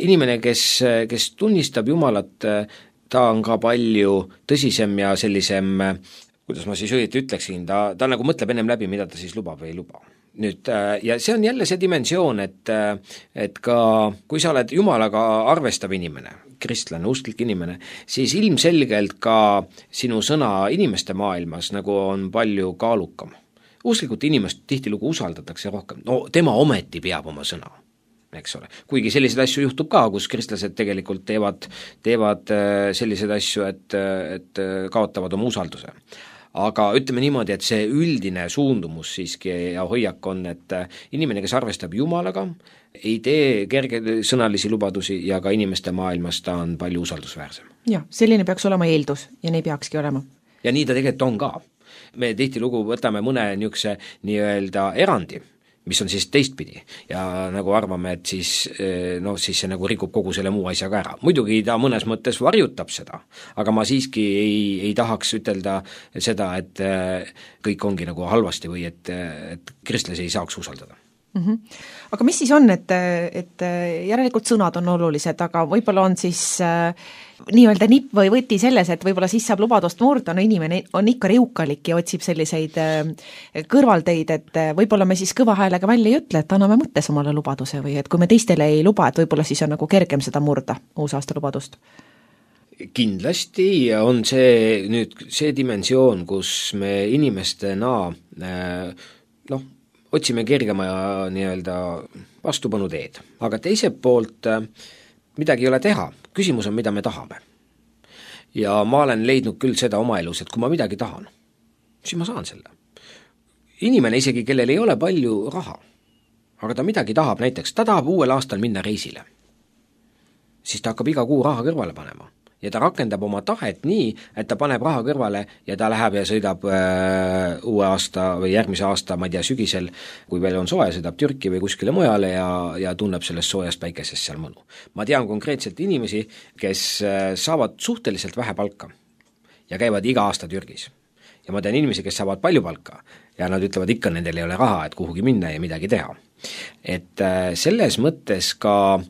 Inimene, kes tunnistab Jumalat, ta on ka palju tõsisem ja sellisem, kuidas ma siis õieti ütleksin, ta nagu mõtleb ennem läbi, mida ta siis lubab või ei luba. Nüüd, ja see on jälle see dimensioon, et ka kui sa oled Jumalaga arvestav inimene, kristlane, usklik inimene, siis ilmselgelt ka sinu sõna inimeste maailmas nagu on palju kaalukam. usklikult inimest tihtilugu usaldatakse rohkem, no tema ometi peab oma sõna, eks ole. Kuigi selliseid asju juhtub ka, kus kristlased tegelikult teevad selliseid asju, et kaotavad oma usalduse. Aga ütleme niimoodi, et see üldine suundumus siiski ja hoiak on, et inimene, kes arvestab Jumalaga, ei tee kergesõnalisi lubadusi ja ka inimeste maailmas ta on palju usaldusväärsem. Jah, selline peaks olema eeldus ja nii peakski olema. Ja nii ta tegelikult on ka. Me tihtilugu võtame mõne niisuguse nii-öelda erandi, mis on siis teistpidi ja nagu arvame, et siis see nagu rikub kogu selle muu asjaga ära. Muidugi ta mõnes mõttes varjutab seda, aga ma siiski ei tahaks ütelda seda, et kõik ongi nagu halvasti või et kristlasi ei saaks usaldada. Aga mis siis on, et järelikult sõnad on olulised, aga võib-olla on siis nii-öelda nipp või võti selles, et võib-olla siis saab lubadust murda, no inimene on ikka riukalik ja otsib selliseid kõrvalteid, et võib-olla me siis kõva häälega välja ei ütle, et anname mõttes omale lubaduse või et kui me teistele ei luba, et võib-olla siis on nagu kergem seda murda, uusaasta lubadust. Kindlasti on see dimensioon, kus me inimestena otsime kergema ja nii-öelda vastupanu teed. Aga teiselt poolt midagi ei ole teha, küsimus on, mida me tahame. Ja ma olen leidnud küll seda oma elus, et kui ma midagi tahan, siis ma saan selle. Inimene isegi, kellel ei ole palju raha, aga ta midagi tahab, näiteks ta tahab uuel aastal minna reisile, siis ta hakkab iga kuu raha kõrvale panema. Ja ta rakendab oma tahet nii, et ta paneb raha kõrvale ja ta läheb ja sõidab uue aasta või järgmise aasta, ma ei tea, sügisel, kui veel on soe, sõidab Türki või kuskile mujale ja tunneb sellest soojast päikesest seal mõnu. Ma tean konkreetselt inimesi, kes saavad suhteliselt vähe palka ja käivad iga aasta Türgis. Ja ma tean inimesi, kes saavad palju palka ja nad ütlevad ikka, nendel ei ole raha, et kuhugi minna ja midagi teha. Et selles mõttes ka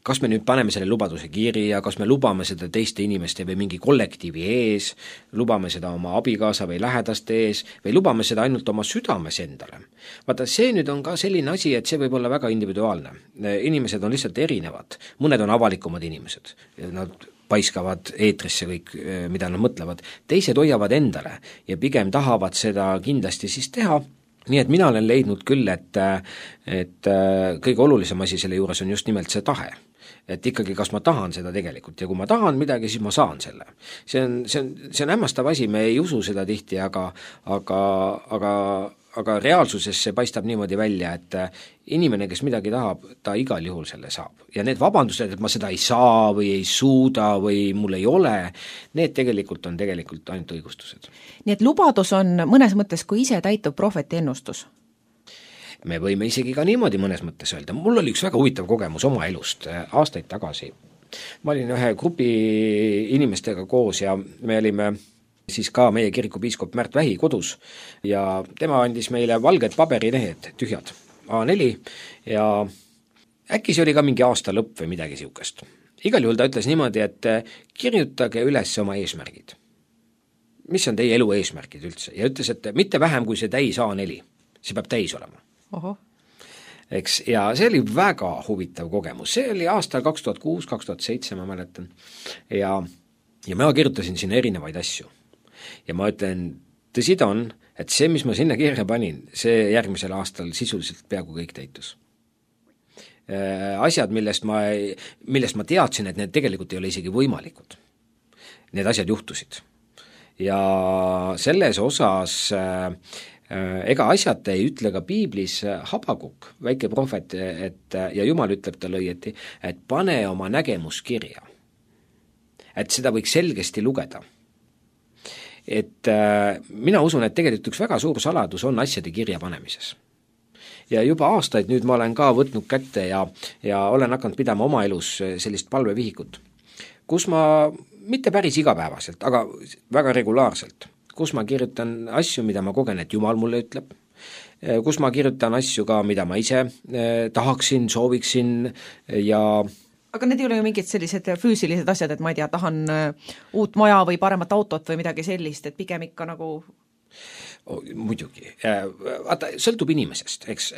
kas me nüüd paneme selle lubaduse kirja, kas me lubame seda teiste inimeste või mingi kollektiivi ees, lubame seda oma abikaasa või lähedaste ees või lubame seda ainult oma südames endale. Vaata, see nüüd on ka selline asi, et see võib olla väga individuaalne. Inimesed on lihtsalt erinevad, mõned on avalikumad inimesed, nad paiskavad eetrisse kõik, mida nad mõtlevad, teised hoiavad endale ja pigem tahavad seda kindlasti siis teha. Nii et mina olen leidnud küll, et kõige olulisem asi selle juures on just nimelt see tahe. Et ikkagi, kas ma tahan seda tegelikult ja kui ma tahan midagi, siis ma saan selle. See on hämmastav asi, me ei usu seda tihti, aga reaalsuses see paistab niimoodi välja, et inimene, kes midagi tahab, ta igal juhul selle saab. Ja need vabandused, et ma seda ei saa või ei suuda või mul ei ole, need tegelikult on ainult õigustused. Nii et lubadus on mõnes mõttes, kui ise täitub prohveti ennustus? Me võime isegi ka niimoodi mõnes mõttes öelda. Mul oli üks väga huvitav kogemus oma elust aastaid tagasi. Ma olin ühe grupi inimestega koos ja me olime siis ka meie kirikupiiskop Märt Vähi kodus ja tema andis meile valged paberilehed, tühjad, A4 ja äkki see oli ka mingi aasta lõpp või midagi siukest. Igal juhul ta ütles niimoodi, et kirjutage üles oma eesmärgid. Mis on teie elu eesmärgid üldse? Ja ütles, et mitte vähem kui see täis A4. See peab täis olema. Oho. Eks, ja see oli väga huvitav kogemus, see oli aastal 2006-2007, ma mäletan ja ma kirjutasin sinna erinevaid asju ja ma ütlen, tõsi ta on, et see, mis ma sinna kirja panin, see järgmisel aastal sisuliselt peaaegu kõik täitus. Asjad, millest ma teadsin, et need tegelikult ei ole isegi võimalikud, need asjad juhtusid ja selles osas ega asjata ei ütle ka piiblis Habakuk, väike prohvet, ja Jumal ütleb talle õieti, et pane oma nägemus kirja. Et seda võiks selgesti lugeda. Et mina usun, et tegelikult üks väga suur saladus on asjade kirja panemises. Ja juba aastaid nüüd ma olen ka võtnud kätte ja olen hakanud pidama oma elus sellist palvevihikut, kus ma mitte päris igapäevaselt, aga väga regulaarselt, kus ma kirjutan asju, mida ma kogen, et Jumal mulle ütleb, kus ma kirjutan asju ka, mida ma ise tahaksin, sooviksin ja aga need ei ole ju mingid sellised füüsilised asjad, et ma ei tea, tahan uut maja või paremat autot või midagi sellist, et pigem ikka nagu muidugi. Vaata, sõltub inimesest, eks.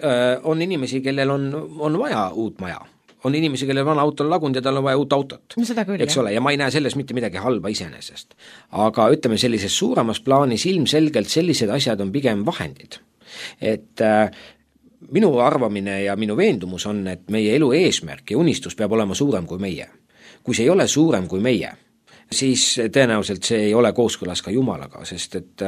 On inimesi, kellel on vaja uut maja. On inimesi, kellel vana auto on lagunud ja tal on vaja uut autot. No seda küll, eks ole, ja ma ei näe selles mitte midagi halba iseenesest. Aga ütleme, sellises suuremas plaanis ilmselgelt sellised asjad on pigem vahendid. et minu arvamine ja minu veendumus on, et meie elu eesmärk ja unistus peab olema suurem kui meie. Kui see ei ole suurem kui meie, siis tõenäoliselt see ei ole kooskõlas ka Jumalaga, sest et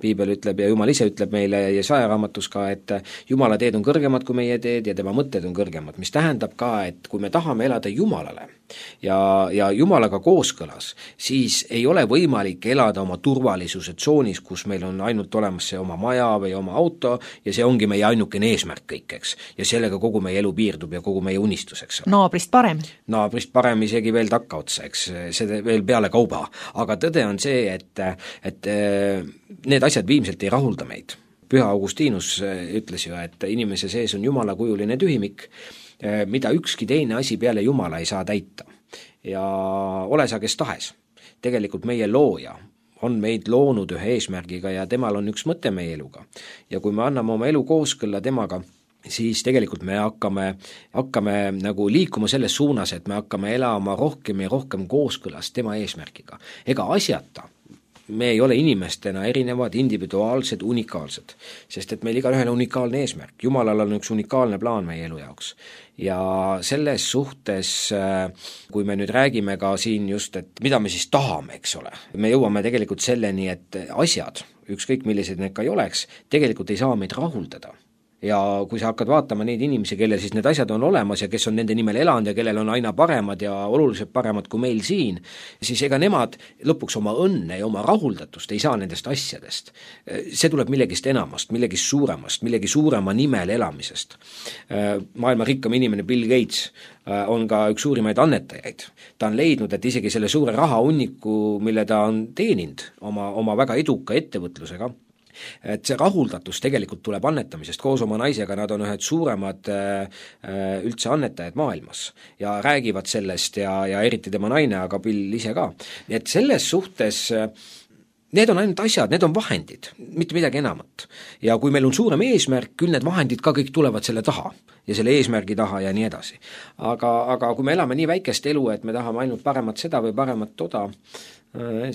Piibel ütleb ja Jumal ise ütleb meile Jesaja raamatus ka, et Jumala teed on kõrgemad kui meie teed ja tema mõtted on kõrgemad, mis tähendab ka, et kui me tahame elada Jumalale ja Jumalaga kooskõlas, siis ei ole võimalik elada oma turvalisuse tsoonis, kus meil on ainult olemas see oma maja või oma auto ja see ongi meie ainukene eesmärk kõik, eks. Ja sellega kogu meie elu piirdub ja kogu meie unistuseks. Naabrist parem. Naabrist parem isegi veel takkaotsa, eks, see veel peale kauba, aga tõde on see, et need asjad viimselt ei rahulda meid. Püha Augustinus ütles ju, et inimese sees on Jumala kujuline tühimik, mida ükski teine asi peale Jumala ei saa täita. Ja ole sa kes tahes. Tegelikult meie looja on meid loonud ühe eesmärgiga ja temal on üks mõte meie eluga. Ja kui me anname oma elu kooskõlla temaga, siis tegelikult me hakkame nagu liikuma selles suunas, et me hakkame elama rohkem ja rohkem kooskõlas tema eesmärgiga. Ega asjata me ei ole inimestena erinevad, individuaalsed, unikaalsed, sest et meil igaühel on unikaalne eesmärk. Jumalal on üks unikaalne plaan meie elu jaoks. Ja selles suhtes, kui me nüüd räägime ka siin just, et mida me siis tahame, eks ole, me jõuame tegelikult selleni, et asjad, ükskõik millised need ka ei oleks, tegelikult ei saa meid rahuldada. Ja kui sa hakkad vaatama neid inimesi, kellel siis need asjad on olemas ja kes on nende nimel elanud ja kellel on aina paremad ja oluliselt paremad kui meil siin, siis ega nemad lõpuks oma õnne ja oma rahuldatust ei saa nendest asjadest. See tuleb millegist enamast, millegist suuremast, millegi suurema nimel elamisest. Maailma rikkam inimene Bill Gates on ka üks suurimaid annetajaid. Ta on leidnud, et isegi selle suure rahahunniku, mille ta on teeninud oma väga eduka ettevõtlusega, et see rahuldatus tegelikult tuleb annetamisest. Koos oma naisega nad on ühed suuremad üldse annetajad maailmas ja räägivad sellest ja eriti tema naine, aga Bill ise ka. Nii et selles suhtes need on ainult asjad, need on vahendid, mitte midagi enamat. Ja kui meil on suurem eesmärk, küll need vahendid ka kõik tulevad selle taha ja selle eesmärgi taha ja nii edasi. Aga kui me elame nii väikest elu, et me tahame ainult paremat seda või paremat toda,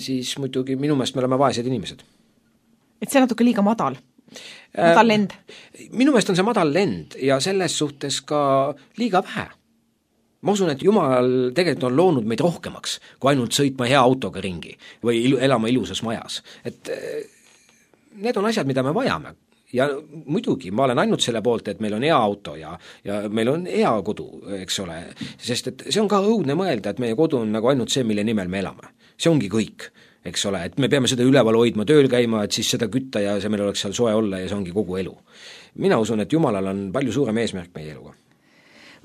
siis muidugi minu meelest me oleme vaesed inimesed. Et see natuke liiga madal lend? Minu meelest on see madal lend ja selles suhtes ka liiga vähe. Ma usun, et Jumal tegelikult on loonud meid rohkemaks, kui ainult sõitma hea autoga ringi või elama ilusas majas. Et need on asjad, mida me vajame. Ja muidugi, ma olen ainult selle poolt, et meil on hea auto ja meil on hea kodu, eks ole, sest et see on ka õudne mõelda, et meie kodu on nagu ainult see, mille nimel me elame. See ongi kõik, eks ole, et me peame seda üleval hoidma, tööl käima, et siis seda kütta ja see meil oleks seal soe olla ja see ongi kogu elu. Mina usun, et Jumalal on palju suurem eesmärk meie eluga.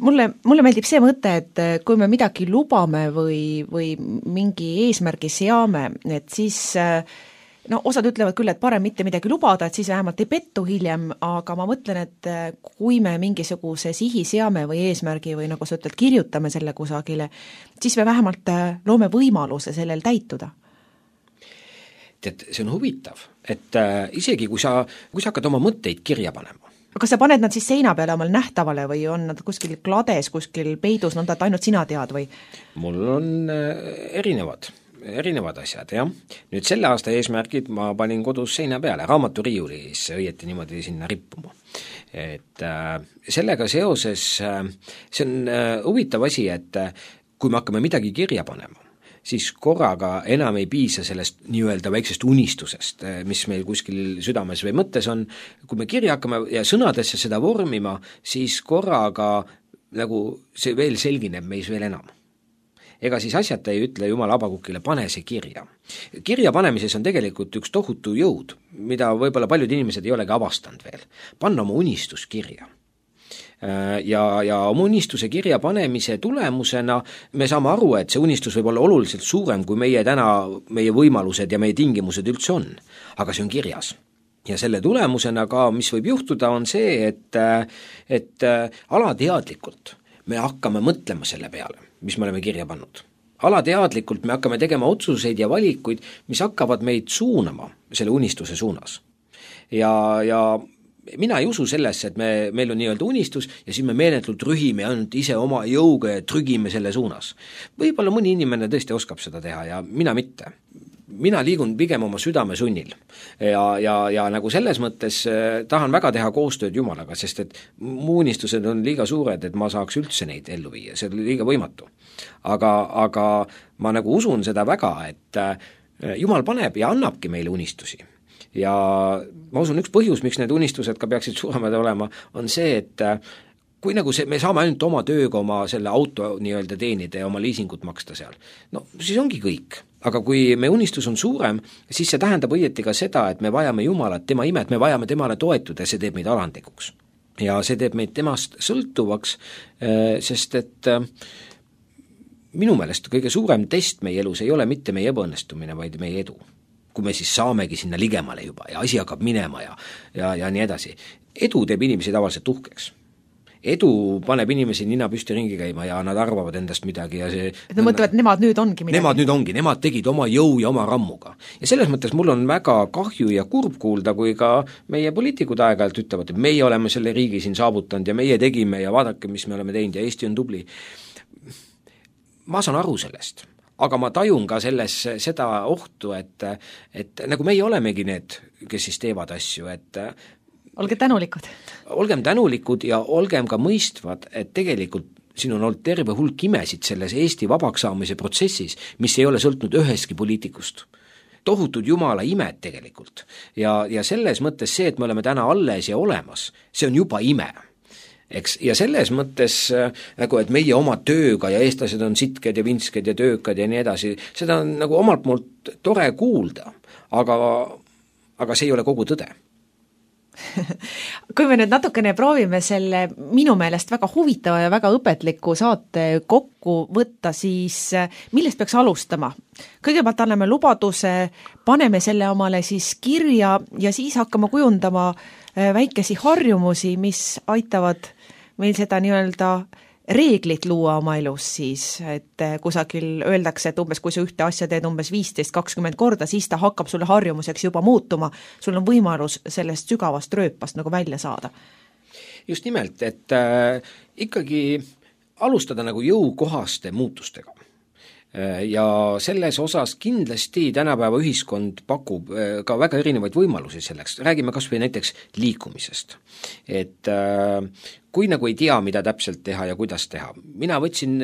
Mulle meeldib see mõte, et kui me midagi lubame või mingi eesmärgi seame, et siis osad ütlevad küll, et parem mitte midagi lubada, et siis vähemalt ei pettu hiljem, aga ma mõtlen, et kui me mingisuguse sihi seame või eesmärgi või nagu sa ütled, kirjutame selle kusagile, siis me vähemalt loome võimaluse sellel täituda. Et see on huvitav, et isegi kui sa hakkad oma mõtteid kirja panema. Kas sa paned nad siis seina peale omal nähtavale või on nad kuskil klades, kuskil peidus, nõnda, et ainult sina tead või? Mul on erinevad asjad, jah. Nüüd selle aasta eesmärgid ma panin kodus seina peale, raamaturiiulis õieti niimoodi sinna rippuma. Et sellega seoses see on huvitav asi, et kui me hakkame midagi kirja panema, siis korraga enam ei piisa sellest nii-öelda väiksest unistusest, mis meil kuskil südames või mõttes on. Kui me kirja hakkame ja sõnadesse seda vormima, siis korraga nagu see veel selgineb meis veel enam. Ega siis asjata ei ütle Jumal Habakukile, pane see kirja. Kirja panemises on tegelikult üks tohutu jõud, mida võib-olla paljud inimesed ei olegi avastanud veel. Panna oma unistus kirja. Ja oma unistuse kirja panemise tulemusena me saame aru, et see unistus võib olla oluliselt suurem, kui meie võimalused ja meie tingimused üldse on. Aga see on kirjas. Ja selle tulemusena ka, mis võib juhtuda, on see, et alateadlikult me hakkame mõtlema selle peale, mis me oleme kirja pannud. Alateadlikult me hakkame tegema otsuseid ja valikuid, mis hakkavad meid suunama selle unistuse suunas. Ja mina ei usu sellesse, et meil on nii-öelda unistus ja siis me meeletult rühime ainult ise oma jõuga ja trügime selle suunas. Võib-olla mõni inimene tõesti oskab seda teha ja mina mitte. mina liigun pigem oma südame sunnil ja nagu selles mõttes tahan väga teha koostööd Jumalaga, sest et mu unistused on liiga suured, et ma saaks üldse neid ellu viia, see on liiga võimatu. Aga ma nagu usun seda väga, et Jumal paneb ja annabki meile unistusi. Ja ma usun, üks põhjus, miks need unistused ka peaksid suuremad olema, on see, et kui nagu me saame ainult oma tööga oma selle auto nii-öelda teenida ja oma liisingut maksta seal, no siis ongi kõik. Aga kui me unistus on suurem, siis see tähendab õieti ka seda, et me vajame Jumalat, tema imet, me vajame temale toetuda ja see teeb meid alandlikuks. Ja see teeb meid temast sõltuvaks, sest et minu meelest kõige suurem test meie elus ei ole mitte meie ebaõnnestumine, vaid meie edu. Kui me siis saamegi sinna ligemale juba ja asi hakkab minema ja nii edasi. Edu teeb inimesi tavaliselt uhkeks. Edu paneb inimesi nina püsti ringi käima ja nad arvavad endast midagi ja see et nad mõtlevad, et nemad nüüd ongi midagi. Nemad tegid oma jõu ja oma rammuga. Ja selles mõttes mul on väga kahju ja kurb kuulda, kui ka meie poliitikud aeg-ajalt ütlevad, et meie oleme selle riigi siin saavutanud ja meie tegime ja vaadake, mis me oleme teinud ja Eesti on tubli. Ma saan aru sellest. Aga ma tajun ka selles seda ohtu, et nagu meie olemegi need, kes siis teevad asju, et olge tänulikud. Olgem tänulikud ja olgem ka mõistvad, et tegelikult siin on olnud terve hulk imesid selles Eesti vabaks saamise protsessis, mis ei ole sõltunud ühestki poliitikust. Tohutud Jumala imed tegelikult. Ja selles mõttes see, et me oleme täna alles ja olemas, see on juba ime. Eks, ja selles mõttes, nagu, et meie oma tööga ja eestlased on sitked ja vinsked ja töökad ja nii edasi, seda on nagu omalt poolt tore kuulda, aga see ei ole kogu tõde. Kui me nüüd natukene proovime selle minu meelest väga huvitava ja väga õpetliku saate kokku võtta, siis millest peaks alustama? Kõigepealt anname lubaduse, paneme selle omale siis kirja ja siis hakkame kujundama väikesi harjumusi, mis aitavad meil seda nii-öelda reeglit luua oma elus siis, et kusagil öeldakse, et umbes kui sa ühte asja teed umbes 15-20 korda, siis ta hakkab sulle harjumuseks juba muutuma, sul on võimalus sellest sügavast rööpast nagu välja saada. Just nimelt, et ikkagi alustada nagu jõukohaste muutustega. Ja selles osas kindlasti tänapäeva ühiskond pakub ka väga erinevaid võimalusi selleks. Räägime kas või näiteks liikumisest. Et kui nagu ei tea, mida täpselt teha ja kuidas teha. Mina võtsin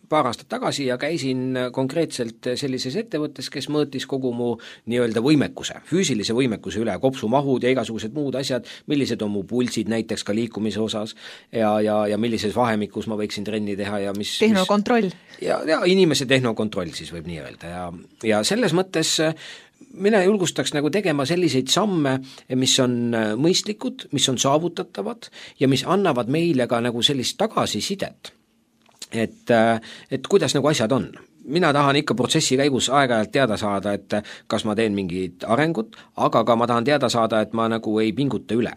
paar aastat tagasi ja käisin konkreetselt sellises ettevõttes, kes mõõtis kogu mu nii-öelda võimekuse, füüsilise võimekuse üle, kopsumahud ja igasugused muud asjad, millised on mu pulsid näiteks ka liikumise osas ja millises vahemikus ma võiksin trenni teha ja mis tehnokontroll. Ja inimese tehnokontroll siis võib nii öelda ja selles mõttes mina julgustaks nagu tegema selliseid samme, mis on mõistlikud, mis on saavutatavad ja mis annavad meile ka nagu sellist tagasisidet. Et kuidas nagu asjad on. Mina tahan ikka protsessi käigus aeg-ajalt teada saada, et kas ma teen mingit arengut, aga ka ma tahan teada saada, et ma nagu ei pinguta üle.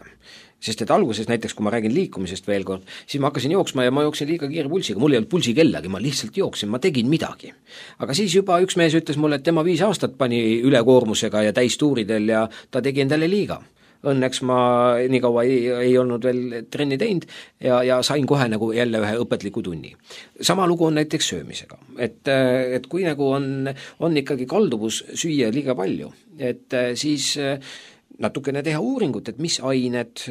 Sest et alguses näiteks, kui ma räägin liikumisest veel kord, siis ma hakkasin jooksma ja ma jooksin liiga kiire pulsiga, mul ei olnud pulsi kellagi, ma lihtsalt jooksin, ma tegin midagi. Aga siis juba üks mees ütles mulle, et tema 5 aastat pani ülekoormusega ja täistuuridel ja ta tegi endale liiga. Õnneks ma nii kaua ei olnud veel trenni teinud ja sain kohe nagu jälle ühe õpetliku tunni. Sama lugu on näiteks söömisega. Et kui nagu on ikkagi kalduvus süüa liiga palju, et siis natukene teha uuringut, et mis ained,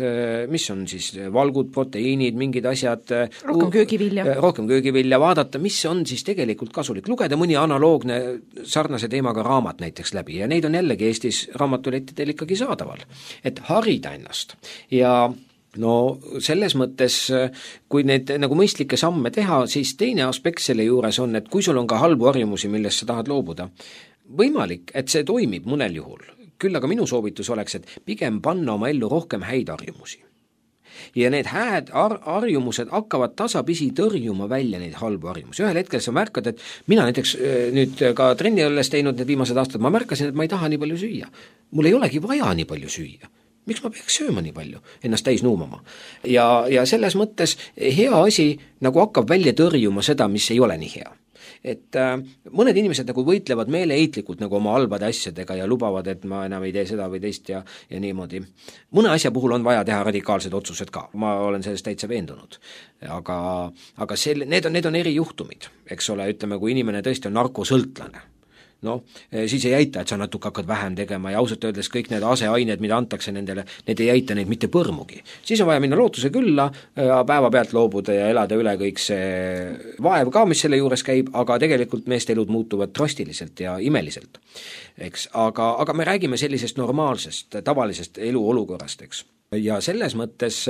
mis on siis valgud, proteiinid, mingid asjad. Rohkem köögivilja, vaadata, mis on siis tegelikult kasulik. Lugeda mõni analoogne sarnase teemaga raamat näiteks läbi ja neid on jällegi Eestis raamatulettidel ikkagi saadaval. Et harida ennast ja no selles mõttes, kui need nagu mõistlikke samme teha, siis teine aspekt selle juures on, et kui sul on ka halbu harjumusi, millest sa tahad loobuda, võimalik, et see toimib mõnel juhul. Küll aga minu soovitus oleks, et pigem panna oma ellu rohkem häid harjumusi. Ja need hääd harjumused hakkavad tasapisi tõrjuma välja neid halbu harjumusi. Ühel hetkel sa märkad, et mina näiteks nüüd ka trenni olles teinud need viimased aastad, ma märkasin, et ma ei taha nii palju süüa. Mul ei olegi vaja nii palju süüa. Miks ma peaks sööma nii palju, ennast täis nuumama? Ja selles mõttes hea asi nagu hakkab välja tõrjuma seda, mis ei ole nii hea. Et mõned inimesed nagu võitlevad meeleheitlikult nagu oma halbade asjadega ja lubavad, et ma enam ei tee seda või teist ja niimoodi. Mõne asja puhul on vaja teha radikaalsed otsused ka, ma olen sellest täitsa veendunud. Aga need on erijuhtumid, eks ole, ütleme, kui inimene tõesti on narkosõltlane. noh, siis ei aita, et sa natuke hakkad vähem tegema ja ausalt öeldes kõik need aseained, mida antakse nendele, need ei aita neid mitte põrmugi. Siis on vaja minna lootuse külla, päevapealt loobuda ja elada üle kõik see vaev ka, mis selle juures käib, aga tegelikult meeste elud muutuvad drastiliselt ja imeliselt. Eks? Aga me räägime sellisest normaalsest, tavalisest eluolukorrast, eks. Ja selles mõttes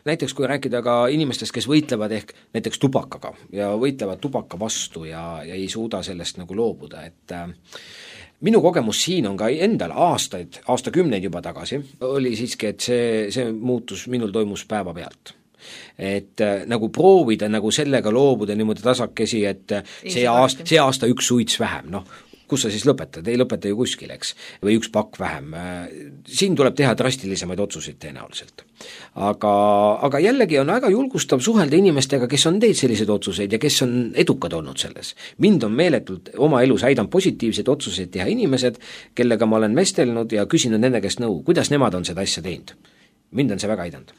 näiteks kui rääkida ka inimestest, kes võitlevad ehk näiteks tubakaga ja võitlevad tubaka vastu ja ei suuda sellest nagu loobuda, et minu kogemus siin on ka endal aastakümneid juba tagasi, oli siiski, et see muutus minul toimus päevapealt. Et nagu proovida nagu sellega loobuda niimoodi tasakesi, et see aasta üks suits vähem, noh, kus sa siis lõpetad, ei lõpeta ju kuskil, eks, või üks pakk vähem. Siin tuleb teha drastilisemaid otsuseid tõenäoliselt. Aga jällegi on väga julgustav suhelda inimestega, kes on teinud selliseid otsuseid ja kes on edukad olnud selles. Mind on meeletult oma elus aidanud positiivseid otsuseid teha inimesed, kellega ma olen vestelnud ja küsinud nende käest nõu, kuidas nemad on seda asja teinud. Mind on see väga aidanud.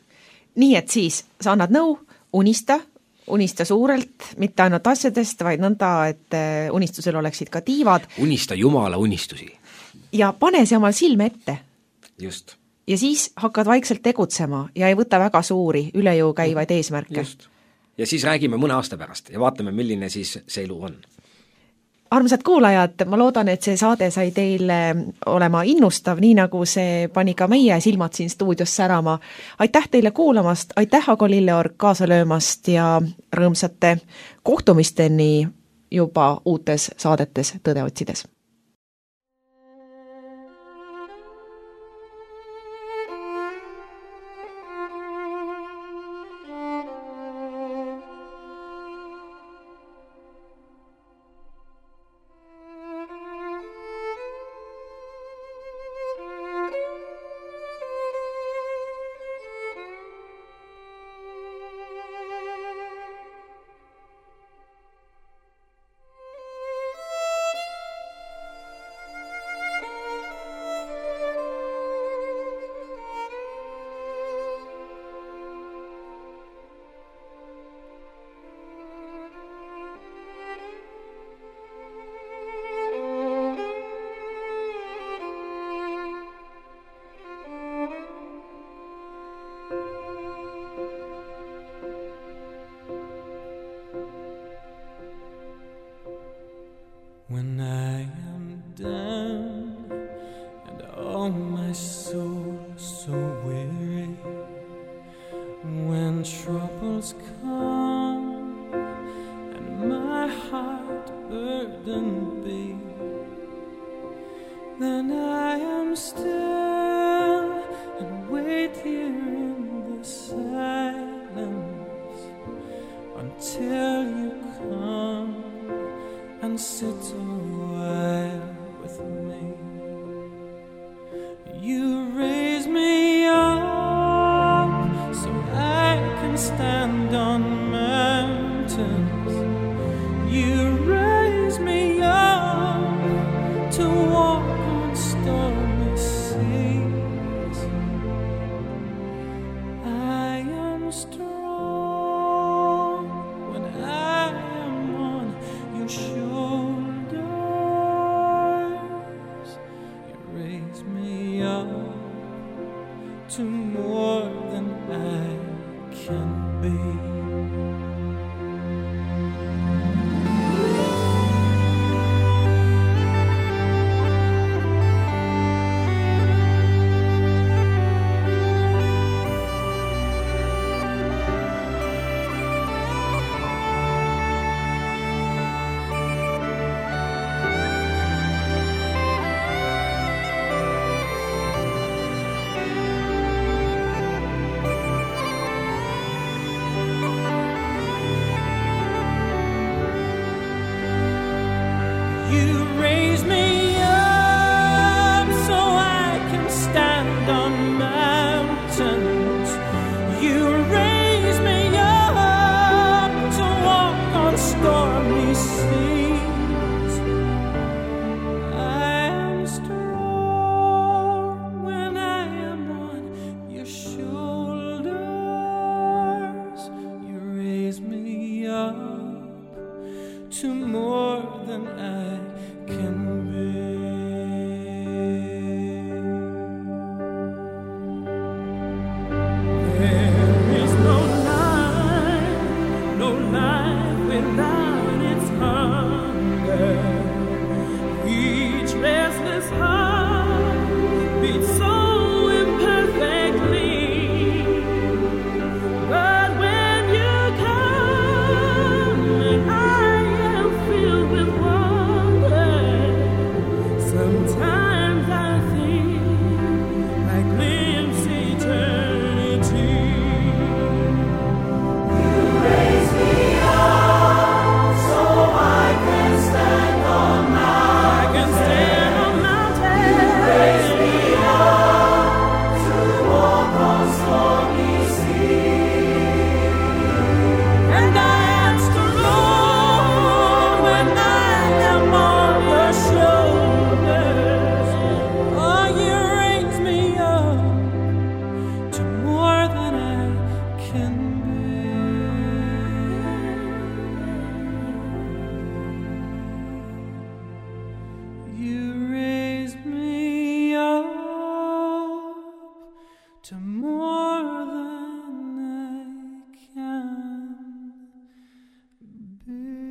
Nii et siis sa annad nõu, unista suurelt, mitte ainult asjadest, vaid nõnda, et unistusel oleksid ka tiivad. Unista Jumala unistusi. Ja pane see omal silme ette. Just. Ja siis hakkad vaikselt tegutsema ja ei võta väga suuri üle jõu käivaid eesmärke. Just. Ja siis räägime mõne aasta pärast ja vaatame, milline siis see elu on. Armsad kuulajad, ma loodan, et see saade sai teile olema innustav, nii nagu see pani ka meie silmad siin stuudios särama. Aitäh teile kuulamast, aitäh Ago Lilleorg kaasa löömast ja rõõmsate kohtumisteni juba uutes saadetes Tõde otsides. When I am down and all my soul so weary, when troubles come and my heart burdened be, then I am still and wait here in the silence until you come and sit a while with me. You raise me up so I can stand on mountains. You raise me up to walk on stormy seas. I am strong when I am on your shoulders. You raise me up to more than I can be. to more than I can be.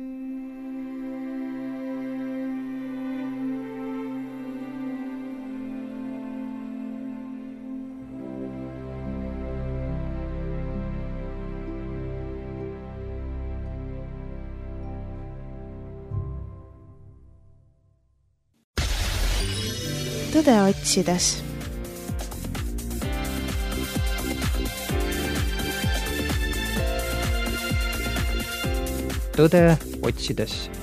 Tõde otsides. Tõde otsides.